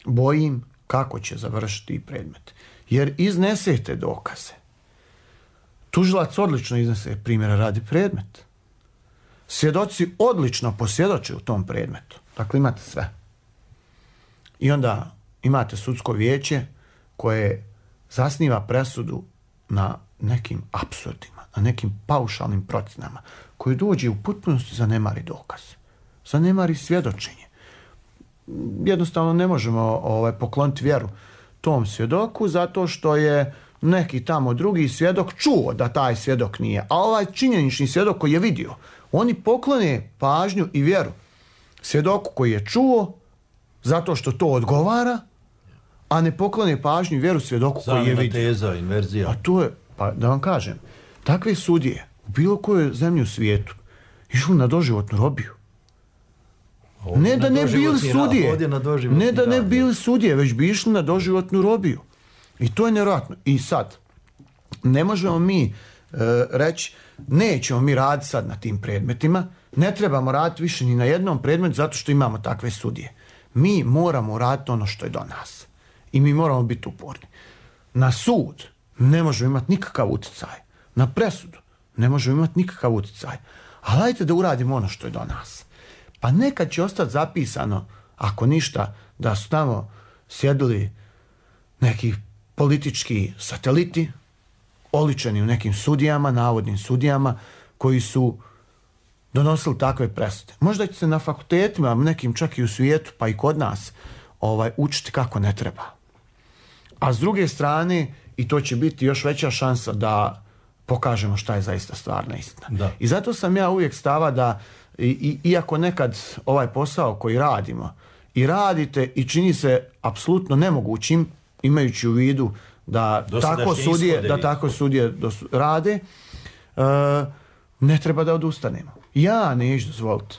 bojim kako će završiti predmet. Jer iznesete dokaze. Tužilac odlično iznese primjera radi predmet. Svjedoci odlično posvjedoče u tom predmetu. Dakle, imate sve. I onda imate sudsko vijeće koje zasniva presudu na nekim apsurdima, na nekim paušalnim procjenama, koji dođe u potpunosti zanemari dokaz. Zanemari svjedočenje. Jednostavno ne možemo ovaj, pokloniti vjeru tom svjedoku zato što je neki tamo drugi svjedok čuo da taj svjedok nije. A ovaj činjenični svjedok koji je vidio, oni poklone pažnju i vjeru svjedoku koji je čuo zato što to odgovara, a ne poklone pažnju i vjeru svjedoku Zamena koji je vidio. Teza, inverzija. A to je, pa da vam kažem, takve sudije u bilo kojoj zemlji u svijetu išli na doživotnu robiju. Ovdje ne da ne bili sudije, ne da ne bili sudije, već bi išli na doživotnu robiju. I to je nevjerojatno. I sad, ne možemo mi e, reći, nećemo mi raditi sad na tim predmetima, ne trebamo raditi više ni na jednom predmetu zato što imamo takve sudije. Mi moramo raditi ono što je do nas. I mi moramo biti uporni. Na sud ne možemo imati nikakav utjecaj. Na presudu ne možemo imati nikakav utjecaj. Ali hajde da uradimo ono što je do nas. Pa nekad će ostati zapisano, ako ništa, da su tamo sjedili neki politički sateliti, oličeni u nekim sudijama, navodnim sudijama, koji su donosili takve presude. Možda će se na fakultetima, nekim čak i u svijetu, pa i kod nas, ovaj, učiti kako ne treba. A s druge strane, i to će biti još veća šansa da pokažemo šta je zaista stvarna istina. Da. I zato sam ja uvijek stava da, i, i, iako nekad ovaj posao koji radimo, i radite i čini se apsolutno nemogućim, imajući u vidu da tako sudije, da tako sudije dos, rade, uh, ne treba da odustanemo. Ja neću dozvoliti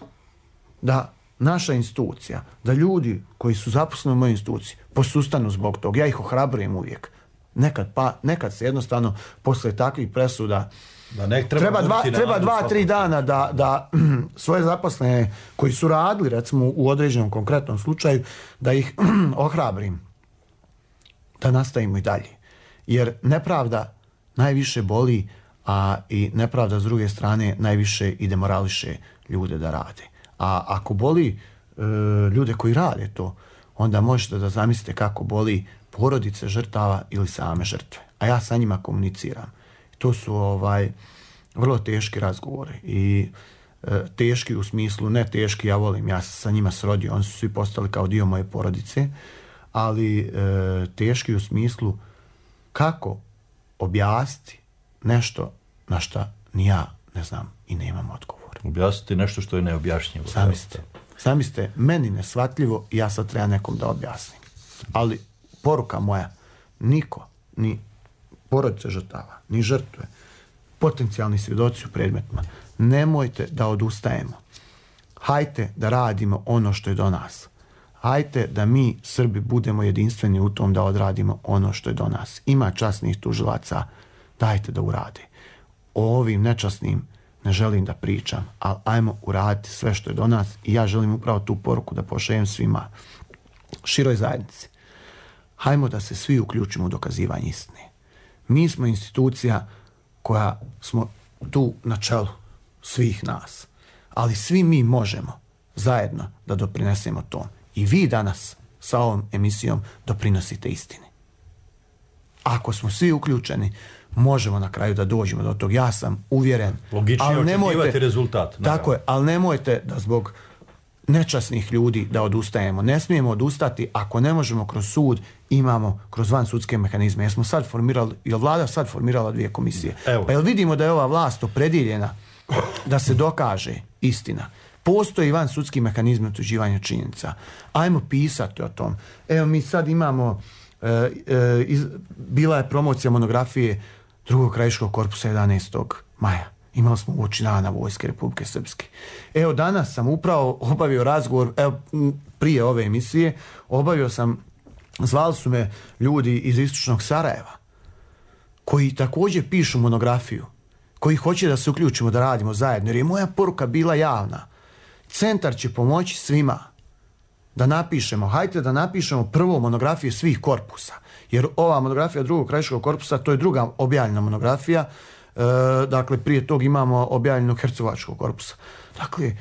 da naša institucija, da ljudi koji su zaposleni u mojoj instituciji posustanu zbog toga. Ja ih ohrabrujem uvijek. Nekad, pa, nekad se jednostavno posle takvih presuda da ne treba, treba dva, treba dva tri dana da, da svoje zaposlene koji su radili recimo u određenom konkretnom slučaju da ih ohrabrim da nastavimo i dalje. Jer nepravda najviše boli, a i nepravda s druge strane najviše i demorališe ljude da rade. A ako boli e, ljude koji rade to, onda možete da zamislite kako boli porodice žrtava ili same žrtve. A ja sa njima komuniciram. To su ovaj vrlo teški razgovori i e, teški u smislu, ne teški, ja volim, ja sam sa njima srodio, oni su svi postali kao dio moje porodice, ali e, teški u smislu kako objasniti nešto na što ni ja ne znam i nemam odgovor. Objasniti nešto što je neobjašnjivo. Sami ste, sami ste meni neshvatljivo i ja sad treba nekom da objasnim. Ali poruka moja, niko, ni porodice žrtava, ni žrtve, potencijalni svjedoci u predmetima, nemojte da odustajemo. Hajte da radimo ono što je do nas. Hajte da mi, Srbi, budemo jedinstveni u tom da odradimo ono što je do nas. Ima časnih tužilaca, dajte da urade. O ovim nečasnim ne želim da pričam, ali ajmo uraditi sve što je do nas i ja želim upravo tu poruku da pošaljem svima, široj zajednici. Hajmo da se svi uključimo u dokazivanje istine. Mi smo institucija koja smo tu na čelu svih nas, ali svi mi možemo zajedno da doprinesemo tom. I vi danas sa ovom emisijom doprinosite istini. Ako smo svi uključeni, možemo na kraju da dođemo do tog. Ja sam uvjeren. Logično je očekivati rezultat. Tako je, ali nemojte da zbog nečasnih ljudi da odustajemo. Ne smijemo odustati ako ne možemo kroz sud, imamo kroz vansudske mehanizme. Jer smo sad formirali, jel vlada sad formirala dvije komisije. Evo. Pa jel vidimo da je ova vlast opredijeljena da se dokaže istina. Postoji vansudski mehanizmi utvrđivanja činjenica. Ajmo pisati o tom. Evo mi sad imamo e, e, iz, bila je promocija monografije drugog krajiškog korpusa jedanaestog maja. Imali smo uoči dana Vojske Republike Srpske. Evo danas sam upravo obavio razgovor, evo prije ove emisije, obavio sam, zvali su me ljudi iz istočnog Sarajeva, koji također pišu monografiju, koji hoće da se uključimo, da radimo zajedno, jer je moja poruka bila javna. Centar će pomoći svima da napišemo, hajte da napišemo prvo monografiju svih korpusa, jer ova monografija drugog krajiškog korpusa, to je druga objavljena monografija. E, dakle, prije tog imamo objavljenog hercegovačkog korpusa. Dakle,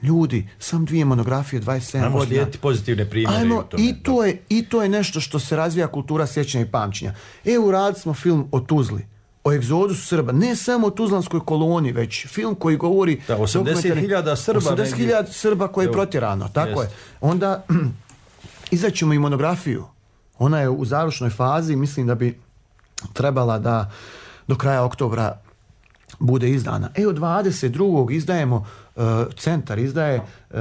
ljudi, sam dvije monografije, dvadeset sedam godina. godina. Slijediti pozitivne primjere. Ajmo, u tome. I, to je, I to je nešto što se razvija kultura sjećanja i pamćenja. Evo, uradili smo film o Tuzli, o egzodusu Srba, ne samo o Tuzlanskoj koloni, već film koji govori... Da, osamdeset hiljada Srba. osamdeset hiljada Srba koje je protjerano, tako jest. Je. Onda izaćemo i monografiju. Ona je u završnoj fazi, mislim da bi trebala da do kraja oktobra bude izdana. Evo dvadeset drugog izdajemo, uh, centar izdaje uh,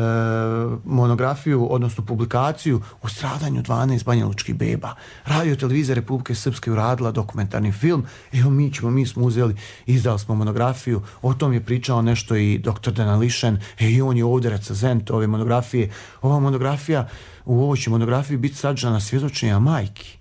monografiju, odnosno publikaciju o stradanju dvanaest banjalučkih beba. Radio televizija Republike Srpske uradila dokumentarni film. Evo mi ćemo, mi smo uzeli, izdali smo monografiju. O tom je pričao nešto i doktor Denališen. E, i on je ovdje recenzent ove monografije. Ova monografija, u ovoj će monografiji biti sadržana svjedočenja majki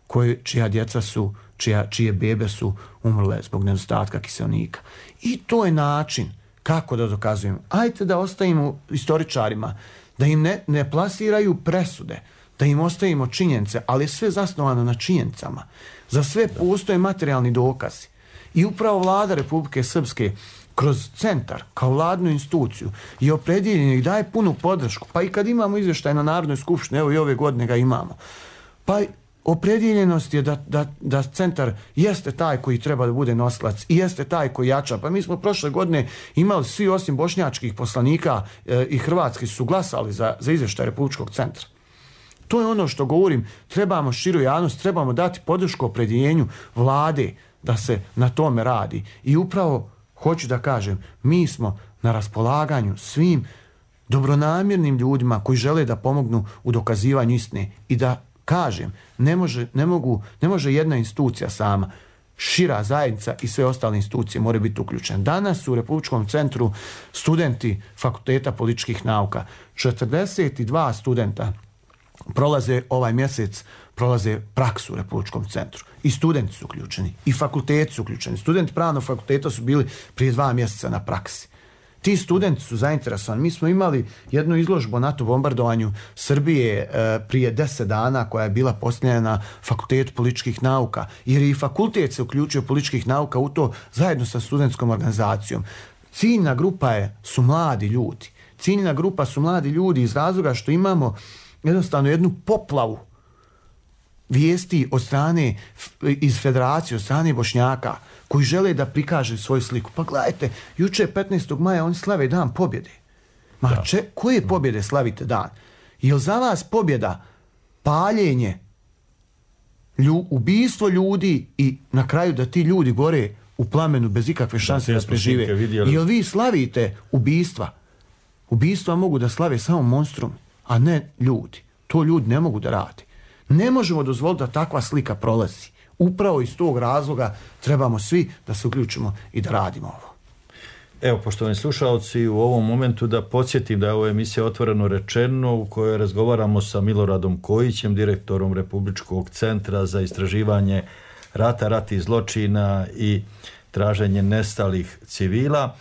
koje, čija djeca su Čija, čije bebe su umrle zbog nedostatka kiselnika. I to je način kako da dokazujemo. Ajte da ostavimo istoričarima, da im ne, ne plasiraju presude, da im ostavimo činjenice, ali je sve zasnovano na činjenicama. Za sve postoje materijalni dokazi. I upravo vlada Republike Srpske kroz centar, kao vladnu instituciju, je opredjeljena i daje punu podršku. Pa i kad imamo izvještaj na Narodnoj skupštini, evo i ove godine ga imamo, pa opredjeljenost je da, da, da centar jeste taj koji treba da bude nosilac i jeste taj koji jača. Pa mi smo prošle godine imali svi osim bošnjačkih poslanika e, i hrvatski su glasali za, za izvještaj Republičkog centra. To je ono što govorim, trebamo širu javnost, trebamo dati podršku opredjeljenju vlade da se na tome radi. I upravo hoću da kažem, mi smo na raspolaganju svim dobronamjernim ljudima koji žele da pomognu u dokazivanju istine i da kažem, ne može, ne mogu, ne može jedna institucija sama, šira zajednica i sve ostale institucije moraju biti uključene. Danas u Republičkom centru studenti Fakulteta političkih nauka, četrdeset dva studenta prolaze ovaj mjesec, prolaze praksu u Republičkom centru. I studenti su uključeni, i fakulteti su uključeni. Studenti pravnog fakulteta su bili prije dva mjeseca na praksi. Ti studenti su zainteresovani. Mi smo imali jednu izložbu o NATO bombardovanju Srbije e, prije deset dana koja je bila postavljena na Fakultetu političkih nauka, jer i fakultet se uključio političkih nauka u to zajedno sa studentskom organizacijom. Ciljna grupa je, su mladi ljudi. Ciljna grupa su mladi ljudi iz razloga što imamo jednostavno jednu poplavu vijesti od strane iz federacije, od strane Bošnjaka koji žele da prikaže svoju sliku. Pa gledajte, juče petnaestog maja oni slave dan pobjede. Ma če, koje pobjede slavite dan? Je li za vas pobjeda paljenje, lju, ubijstvo ljudi i na kraju da ti ljudi gore u plamenu bez ikakve šanse da, da prežive? Je li vi slavite ubijstva? Ubijstva mogu da slave samo monstrum, a ne ljudi. To ljudi ne mogu da radi. Ne možemo dozvoliti da takva slika prolazi. Upravo iz tog razloga trebamo svi da se uključimo i da radimo ovo. Evo, poštovani slušalci, u ovom momentu da podsjetim da je ovo emisija Otvoreno rečeno u kojoj razgovaramo sa Miloradom Kojićem, direktorom Republičkog centra za istraživanje rata, ratnih zločina i traženje nestalih civila.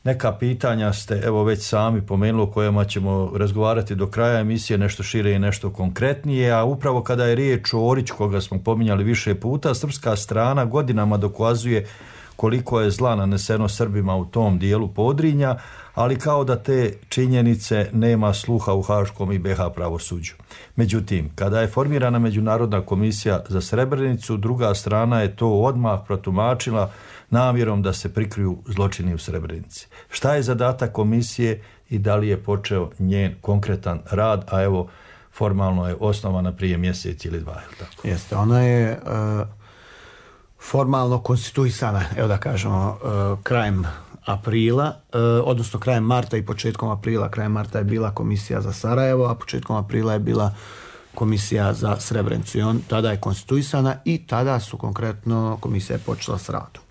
Neka pitanja ste evo već sami pomenuli o kojima ćemo razgovarati do kraja emisije, nešto šire i nešto konkretnije, a upravo kada je riječ o Oriću koga smo pominjali više puta, srpska strana godinama dokazuje koliko je zla naneseno Srbima u tom dijelu Podrinja, ali kao da te činjenice nema sluha u Haškom i B H pravosuđu. Međutim, kada je formirana Međunarodna komisija za Srebrenicu, druga strana je to odmah protumačila namjerom da se prikriju zločini u Srebrenici. Šta je zadatak komisije i da li je počeo njen konkretan rad, a evo formalno je osnovana prije mjesec ili dva, je tako? Jeste, ona je uh, formalno konstituisana, evo da kažemo, uh, krajem aprila, uh, odnosno krajem marta i početkom aprila. Krajem marta je bila komisija za Sarajevo, a početkom aprila je bila komisija za Srebrenicu. I on tada je konstituisana i tada su konkretno komisija je počela s radom.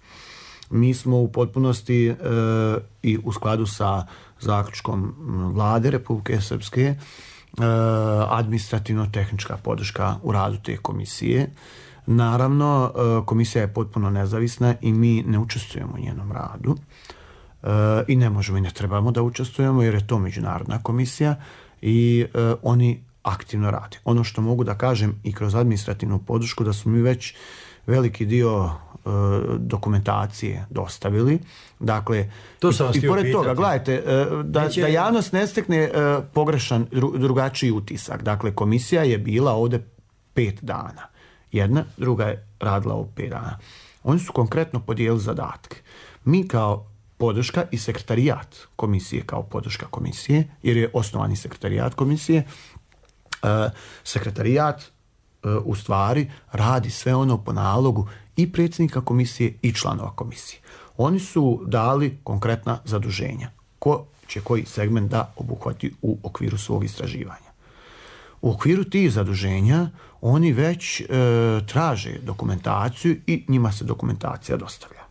Mi smo u potpunosti e, i u skladu sa zaključkom vlade Republike Srpske e, administrativno-tehnička podrška u radu te komisije. Naravno, e, komisija je potpuno nezavisna i mi ne učestvujemo u njenom radu e, i ne možemo i ne trebamo da učestvujemo jer je to međunarodna komisija i e, oni aktivno rade. Ono što mogu da kažem i kroz administrativnu podršku da smo mi već veliki dio dokumentacije dostavili. Dakle, to sam i, i pored pitati. toga, gledajte, da, Neće... da javnost ne stekne pogrešan, drugačiji utisak. Dakle, komisija je bila ovdje pet dana. Jedna, druga je radila ovo pet dana. Oni su konkretno podijelili zadatke. Mi kao podrška i sekretarijat komisije kao podrška komisije, jer je osnovani sekretarijat komisije, sekretarijat u stvari radi sve ono po nalogu i predsjednika komisije i članova komisije. Oni su dali konkretna zaduženja. Ko će koji segment da obuhvati u okviru svog istraživanja. U okviru tih zaduženja oni već e, traže dokumentaciju i njima se dokumentacija dostavlja.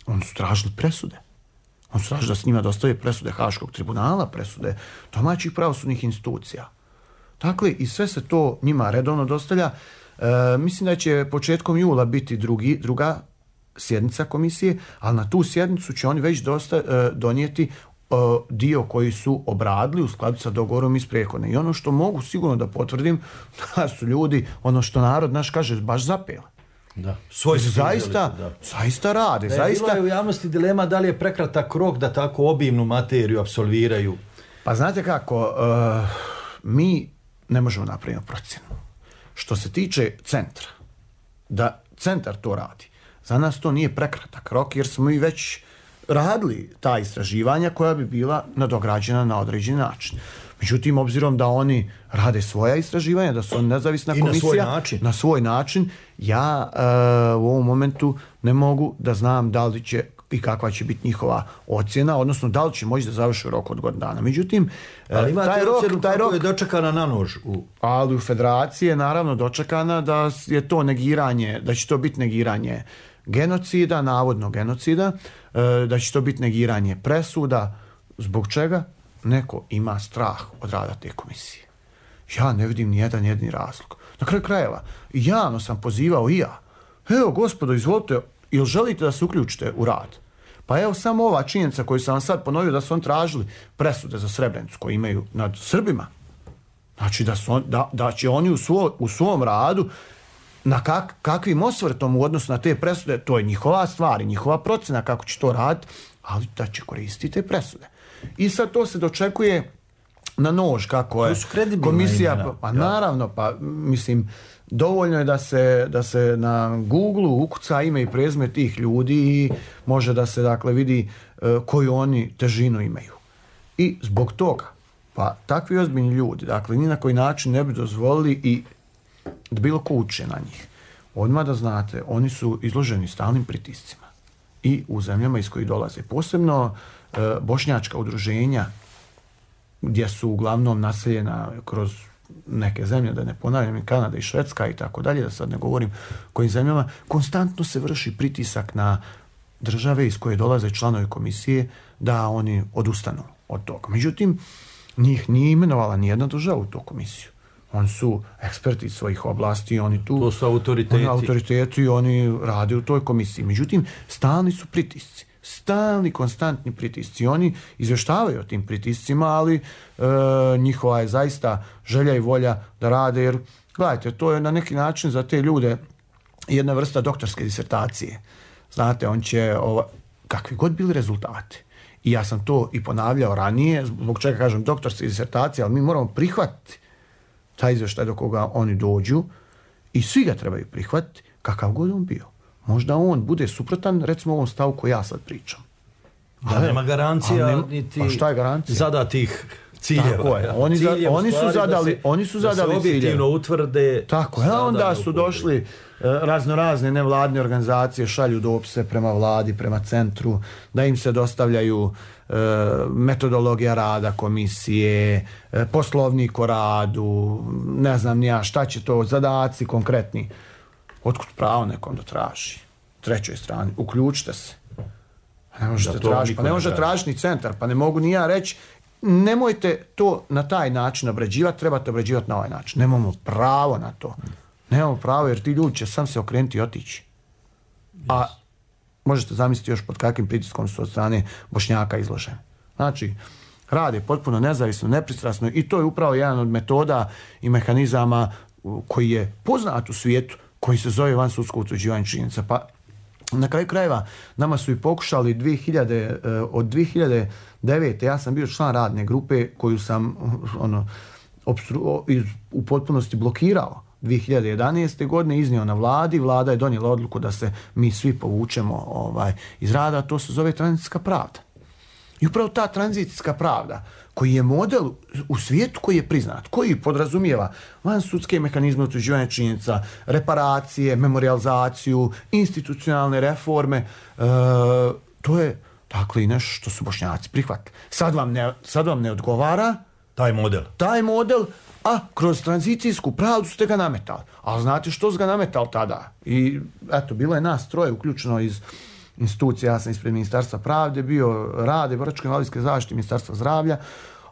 Oni su tražili presude. Oni su tražili da s njima dostave presude Haškog tribunala, presude domaćih pravosudnih institucija. Dakle, i sve se to njima redovno dostavlja. E, mislim da će početkom jula biti drugi, druga sjednica komisije, ali na tu sjednicu će oni već dosta, e, donijeti e, dio koji su obradili u skladu sa dogovorom iz prethodne. I ono što mogu sigurno da potvrdim, da su ljudi, ono što narod naš kaže, baš zapeli. Da. Svoj zaista, da. zaista rade. Da je zaista... Bilo je u javnosti dilema da li je prekratak rok da tako obimnu materiju apsolviraju. Pa znate kako, uh, mi ne možemo napraviti procjenu. Što se tiče centra, da centar to radi, za nas to nije prekratak rok jer smo i već radili ta istraživanja koja bi bila nadograđena na određeni način. Međutim, obzirom da oni rade svoja istraživanja, da su oni nezavisna komisija, I na svoj način, na svoj način ja e, u ovom momentu ne mogu da znam da li će i kakva će biti njihova ocjena, odnosno da li će moći da završi u roku od godinu dana. Međutim, ali imate taj rok, ocjenu taj kako rok je dočekana na nož. U... Ali u federaciji je naravno dočekana da je to negiranje, da će to biti negiranje genocida, navodno genocida, da će to biti negiranje presuda. Zbog čega? Neko ima strah od rada te komisije. Ja ne vidim ni jedan jedini razlog. Na kraju krajeva, javno sam pozivao i ja. Evo, gospodo, izvolite, jel želite da se uključite u rad? Pa evo samo ova činjenica koju sam vam sad ponovio, da su on tražili presude za Srebrenicu koje imaju nad Srbima. Znači da, su on, da, da će oni u, svo, u svom radu na kak, kakvim osvrtom u odnosu na te presude, to je njihova stvar i njihova procena kako će to raditi, ali da će koristiti te presude. I sad to se dočekuje na nož, kako je komisija, imena. Pa naravno, pa mislim, dovoljno je da se, da se na Google-u ukuca ime i prezime tih ljudi i može da se dakle vidi e, koju oni težinu imaju. I zbog toga, pa takvi ozbiljni ljudi, dakle, ni na koji način ne bi dozvolili i da bilo ko uče na njih. Odmah da znate, oni su izloženi stalnim pritiscima i u zemljama iz kojih dolaze. Posebno e, bošnjačka udruženja, gdje su uglavnom naseljena kroz neke zemlje, da ne ponavljam, i Kanada i Švedska i tako dalje, da sad ne govorim kojim zemljama, konstantno se vrši pritisak na države iz koje dolaze članovi komisije da oni odustanu od toga. Međutim, njih nije imenovala nijedna država u tu komisiju. Oni su eksperti svojih oblasti, oni tu... To su autoriteti. Oni autoriteti i oni rade u toj komisiji. Međutim, stalni su pritisci. Stalni, konstantni pritisci. Oni izvještavaju o tim pritiscima, ali e, njihova je zaista želja i volja da rade, jer, gledajte, to je na neki način za te ljude jedna vrsta doktorske disertacije. Znate, on će, ova, kakvi god bili rezultati, i ja sam to i ponavljao ranije, zbog čega kažem doktorske disertacije, ali mi moramo prihvatiti taj izvještaj do koga oni dođu i svi ga trebaju prihvatiti, kakav god on bio. Možda on bude suprotan, recimo ovom stavu koji ja sad pričam. A nema garancija, nema, niti a šta je garancija? Zadatih ciljeva. Tako je. Oni, za, oni su zadali, da se, oni su zadali da se objektivno utvrde. Tako je. A onda su došli razno razne nevladne organizacije, šalju dopise prema vladi, prema centru, da im se dostavljaju e, metodologija rada komisije, e, poslovnik o radu, ne znam ni ja šta će to, zadaci konkretni. Otkud pravo nekom da traži? Trećoj strani, uključite se. Pa ne možete tražiti, pa ne može tražiti ni centar, pa ne mogu ni ja reći, nemojte to na taj način obrađivati, trebate obrađivati na ovaj način. Nemamo pravo na to. Nemamo pravo, jer ti ljudi će sam se okrenuti i otići. A možete zamisliti još pod kakvim pritiskom su od strane Bošnjaka izloženi. Znači, rade potpuno nezavisno, nepristrasno i to je upravo jedan od metoda i mehanizama koji je poznat u svijetu, koji se zove vansudsko utvrđivanje činjenica. Pa na kraju krajeva nama su i pokušali dvije hiljade, od dvije hiljade devete. ja sam bio član radne grupe koju sam ono, obstru, u potpunosti blokirao. dvije hiljade jedanaeste. godine iznio na vladi, vlada je donijela odluku da se mi svi povučemo ovaj, iz rada, to se zove tranzicijska pravda. I upravo ta tranzicijska pravda, koji je model u svijetu koji je priznat, koji podrazumijeva vansudske mehanizme utvrđivanja činjenica, reparacije, memorializaciju, institucionalne reforme, e, to je dakle i nešto što su Bošnjaci prihvatili. Sad vam ne, sad vam ne odgovara taj model. Taj model, a kroz tranzicijsku pravdu ste ga nametali. Ali znate što su ga nametali tada? I eto, bilo je nas troje uključeno iz institucija, ja sam ispred Ministarstva pravde, bio rade, boračko-invalidske zaštite, Ministarstva zdravlja,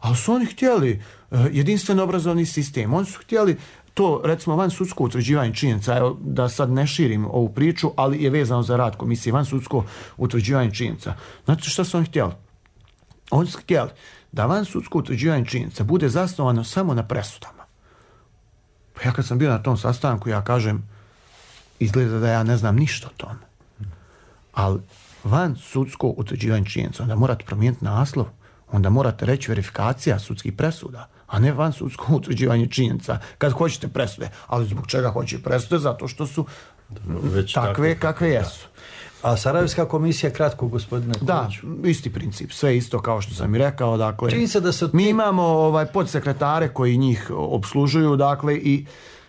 ali su oni htjeli uh, jedinstven obrazovni sistem. Oni su htjeli to, recimo, vansudsko utvrđivanje činjenica, evo, da sad ne širim ovu priču, ali je vezano za rad komisije, vansudsko utvrđivanje činjenica. Znate šta su oni htjeli? Oni su htjeli da vansudsko utvrđivanje činjenica bude zasnovano samo na presudama. Pa ja kad sam bio na tom sastanku, ja kažem, izgleda da ja ne znam ništa o tome. Ali van sudsko utvrđivanje činjenica, onda morate promijeniti naslov, onda morate reći verifikacija sudskih presuda, a ne van sudsko utvrđivanje činjenica kad hoćete presude. Ali zbog čega hoće presude? Zato što su već takve, takve kakve jesu. A Sarajevska komisija, kratko, gospodine Koviću. Da, isti princip, sve isto kao što sam i rekao. Dakle, čini se da se mi imamo ovaj, podsekretare koji njih obslužuju, dakle, i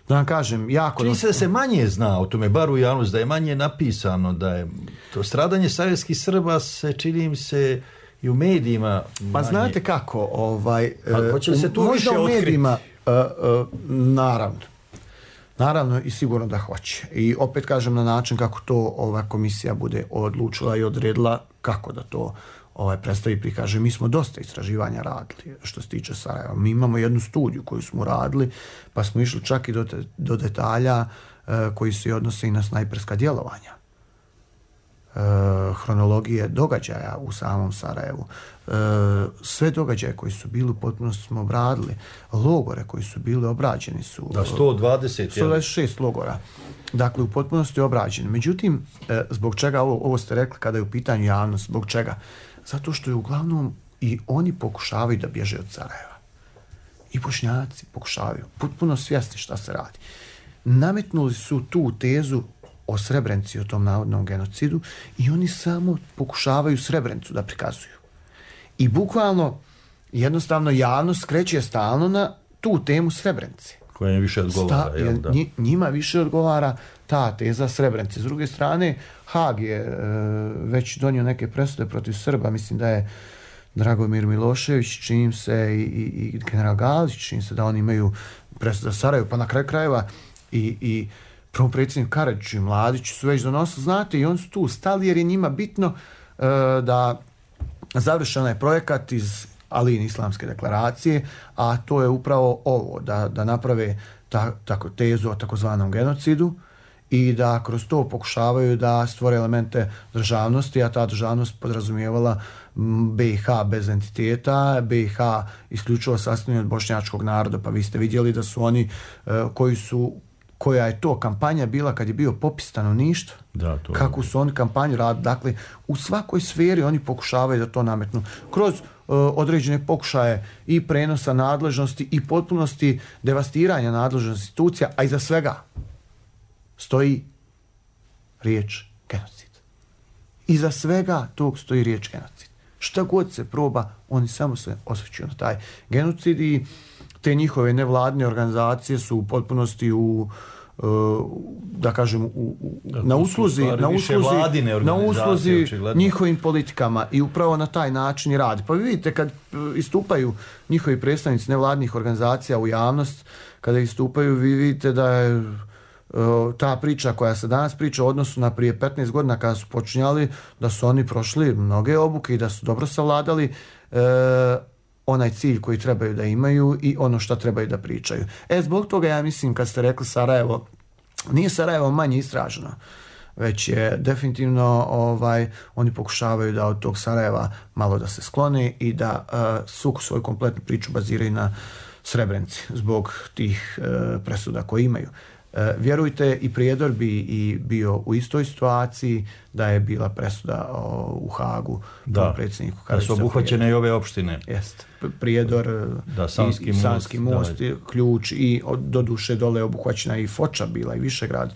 da vam kažem, jako... Čini se da se manje zna o tome, bar u javnosti, da je manje napisano, da je to stradanje sarajevskih Srba se, čini mi se, i u medijima manje. Pa znate kako, ovaj... Pa, hoće li se tu više možda u medijima, otkriti? Uh, uh, naravno. Naravno i sigurno da hoće. I opet kažem na način kako to ova komisija bude odlučila i odredila kako da to ovaj, predstavi i prikaže. Mi smo dosta istraživanja radili što se tiče Sarajeva. Mi imamo jednu studiju koju smo radili, pa smo išli čak i do, te, do detalja uh, koji se odnose i na snajperska djelovanja. Uh, hronologije događaja u samom Sarajevu. Uh, sve događaje koji su bili u potpunosti smo obradili. Logore koji su bili obrađeni su... Da, sto dvadeset. sto dvadeset šest logora. Dakle, u potpunosti obrađeni. Međutim, uh, zbog čega, ovo, ovo ste rekli kada je u pitanju javnost, zbog čega? Zato što je uglavnom i oni pokušavaju da bježe od Sarajeva. I Bošnjaci pokušavaju. Potpuno svjesni šta se radi. Nametnuli su tu tezu o Srebrenici, o tom navodnom genocidu i oni samo pokušavaju Srebrenicu da prikazuju. I bukvalno, jednostavno, javnost skreće stalno na tu temu Srebrenice. Koja je više odgovara. Sta, jel, da? Njima više odgovara ta teza Srebrenice. S druge strane, Haag je e, već donio neke presude protiv Srba. Mislim da je Dragomir Milošević, čini se, i, i, i general Galić, čini se da oni imaju presude za Sarajevo, pa na kraju krajeva i, i prvom predsjedniku Karadžiću i Mladiću su već donosili, znate, i oni su tu stali jer je njima bitno e, da završen je projekat iz Alijine islamske deklaracije, a to je upravo ovo, da, da naprave ta, tako, tezu o takozvanom genocidu i da kroz to pokušavaju da stvore elemente državnosti, a ta državnost podrazumijevala B i H bez entiteta, B i H isključivo sastavljeni od bošnjačkog naroda, pa vi ste vidjeli da su oni e, koji su koja je to kampanja bila kad je bio popis stanovništva, da, to kako su oni kampanju radili. Dakle, u svakoj sferi oni pokušavaju da to nametnu. Kroz uh, određene pokušaje i prenosa nadležnosti i potpunosti devastiranja nadležnosti institucija, a iza svega stoji riječ genocid. Iza svega tog stoji riječ genocid. Šta god se proba, oni samo se osvrćuju na taj genocid i te njihove nevladine organizacije su u potpunosti u da kažem u, u, na usluzi na usluzi, na usluzi njihovim politikama i upravo na taj način i radi. Pa vi vidite kad istupaju njihovi predstavnici nevladnih organizacija u javnost, kada istupaju vi vidite da je ta priča koja se danas priča u odnosu na prije petnaest godina kada su počinjali, da su oni prošli mnoge obuke i da su dobro savladali e, onaj cilj koji trebaju da imaju i ono što trebaju da pričaju. E, zbog toga ja mislim kad ste rekli Sarajevo, nije Sarajevo manje istraženo, već je definitivno ovaj, oni pokušavaju da od tog Sarajeva malo da se sklone i da uh, svu svoju kompletnu priču baziraju na Srebrenici zbog tih uh, presuda koje imaju. Uh, vjerujte, i Prijedor bi i bio u istoj situaciji da je bila presuda o, u Hagu da, predsjedniku da su obuhvaćene i ove opštine. Jest. Prijedor, da, Sanski i, i Sanski most, most da, Ključ i do duše dole obuhvaćena i Foča bila i Višegrad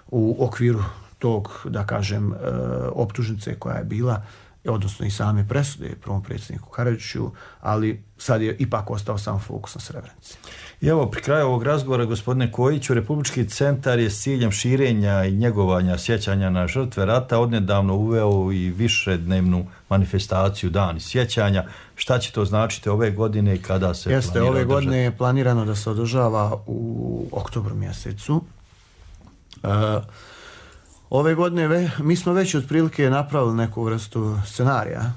u okviru tog, da kažem, optužnice koja je bila, odnosno i same presude prvom predsjedniku Karadžiću, ali sad je ipak ostao sam fokus na Srebrenici. I evo, pri kraju ovog razgovora, gospodine Kojiću, Republički centar je s ciljem širenja i njegovanja sjećanja na žrtve rata odnedavno uveo i višednevnu manifestaciju Dani sjećanja. Šta će to značiti ove godine i kada se Jeste, planira ove održati? godine je planirano da se održava u oktobru mjesecu. Uh, ove godine ve, mi smo već otprilike napravili neku vrstu scenarija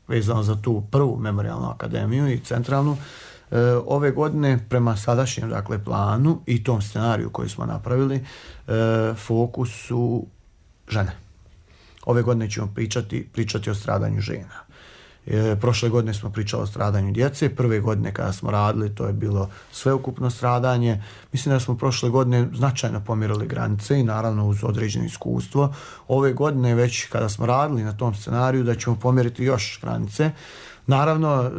vezano za tu prvu memorijalnu akademiju i centralnu. E, ove godine prema sadašnjem, dakle, planu i tom scenariju koji smo napravili, e, fokus su žene. Ove godine ćemo pričati, pričati o stradanju žena. E, prošle godine smo pričali o stradanju djece, prve godine kada smo radili to je bilo sveukupno stradanje. Mislim da smo prošle godine značajno pomjerili granice i naravno uz određeno iskustvo. Ove godine već kada smo radili na tom scenariju da ćemo pomjeriti još granice. Naravno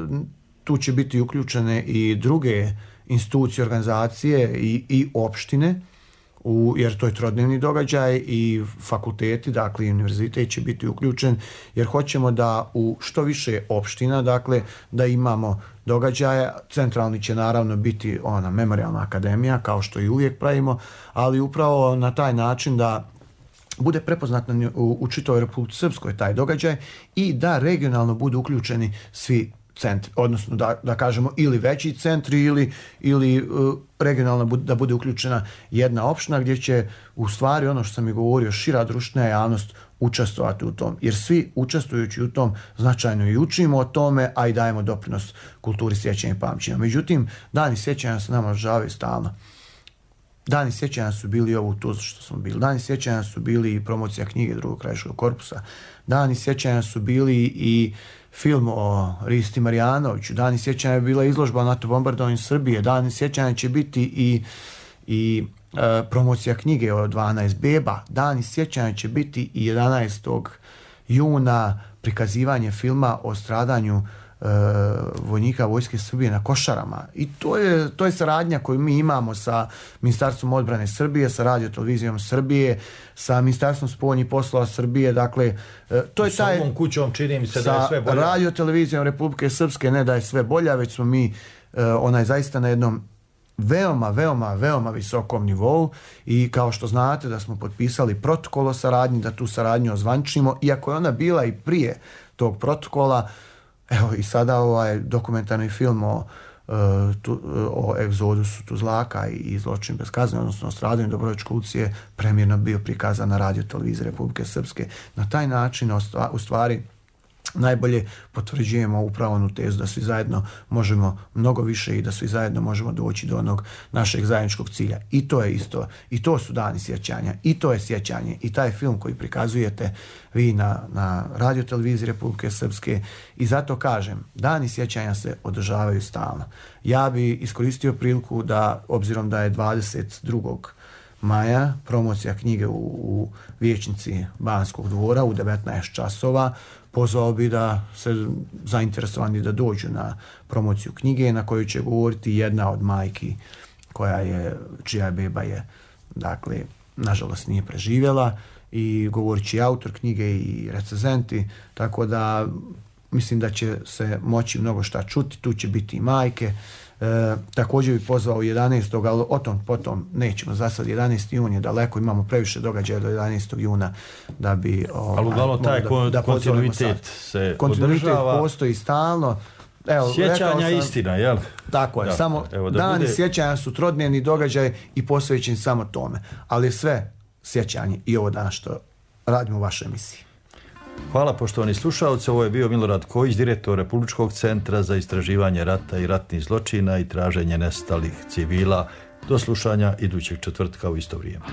tu će biti uključene i druge institucije, organizacije i, i opštine U, jer to je trodnevni događaj i fakulteti, dakle i univerzitet će biti uključen, jer hoćemo da u što više opština, dakle da imamo događaje. Centralni će naravno biti ona memorijalna akademija, kao što i uvijek pravimo, ali upravo na taj način da bude prepoznat u, u čitavoj Republici Srpskoj taj događaj i da regionalno budu uključeni svi centri, odnosno da, da kažemo ili veći centri ili, ili uh, regionalno bud, da bude uključena jedna opština gdje će u stvari ono što sam i govorio šira društvena javnost učestvovati u tom, jer svi učestvujući u tom značajno i učimo o tome, a i dajemo doprinos kulturi sjećanja i pamćenja. Međutim, dani sjećanja se nama održavaju stalno. Dani sjećanja su bili ovo u Tuzli što smo bili. Dani sjećanja su bili i promocija knjige drugog krajiškog korpusa. Dani sjećanja su bili i film o Risti Marijanoviću. Dani sjećanja je bila izložba o NATO bombardovanju Srbije. Dani sjećanja će biti i, i e, promocija knjige o dvanaest beba. Dani sjećanja će biti i jedanaestog juna prikazivanje filma o stradanju e, vojnika vojske Srbije na Košarama. I to je, to je saradnja koju mi imamo sa Ministarstvom odbrane Srbije, sa Radio televizijom Srbije, sa Ministarstvom spoljnih poslova Srbije. Dakle, e, to je taj... S ovom kućom čini mi se da je sve bolja. Sa Radio televizijom Republike Srpske ne da je sve bolja, već smo mi e, onaj zaista na jednom veoma, veoma, veoma visokom nivou i kao što znate da smo potpisali protokol o saradnji, da tu saradnju ozvančimo, iako je ona bila i prije tog protokola. Evo i sada ovaj dokumentarni film o, tu, o egzodusu Tuzlaka i zločin bez kazne, odnosno o stradanju Dobrovoljačke ulice, premijerno bio prikazan na Radio televiziji Republike Srpske. Na taj način u stvari najbolje potvrđujemo upravo onu tezu da svi zajedno možemo mnogo više i da svi zajedno možemo doći do onog našeg zajedničkog cilja. I to je isto, i to su dani sjećanja, i to je sjećanje. I taj film koji prikazujete vi na, na Radio televiziji Republike Srpske, i zato kažem, dani sjećanja se održavaju stalno. Ja bi iskoristio priliku da, obzirom da je dvadeset drugog maja promocija knjige u, u vijećnici Banskog dvora u devetnaest časova, pozvao bi da se zainteresovani da dođu na promociju knjige na kojoj će govoriti jedna od majki koja je, čija beba je, dakle, nažalost nije preživjela, i govorit će i autor knjige i recenzenti, tako da mislim da će se moći mnogo šta čuti, tu će biti i majke. E, također bi pozvao jedanaestog ali o tom potom nećemo, za sad jedanaesti jun je daleko, imamo previše događaja do jedanaestog juna da bi... O, ali uglavnom taj da, da kontinuitet se kontinuitet održava. Postoji stalno. Evo, sjećanja sam, istina, jel? Tako je, da, samo evo, dani bude... sjećanja su trodnevni događaj i posvećeni samo tome, ali sve sjećanje i ovo danas što radimo u vašoj emisiji. Hvala poštovani slušalci, ovo je bio Milorad Kojić, direktor Republičkog centra za istraživanje rata i ratnih zločina i traženje nestalih civila. Do slušanja idućeg četvrtka u isto vrijeme.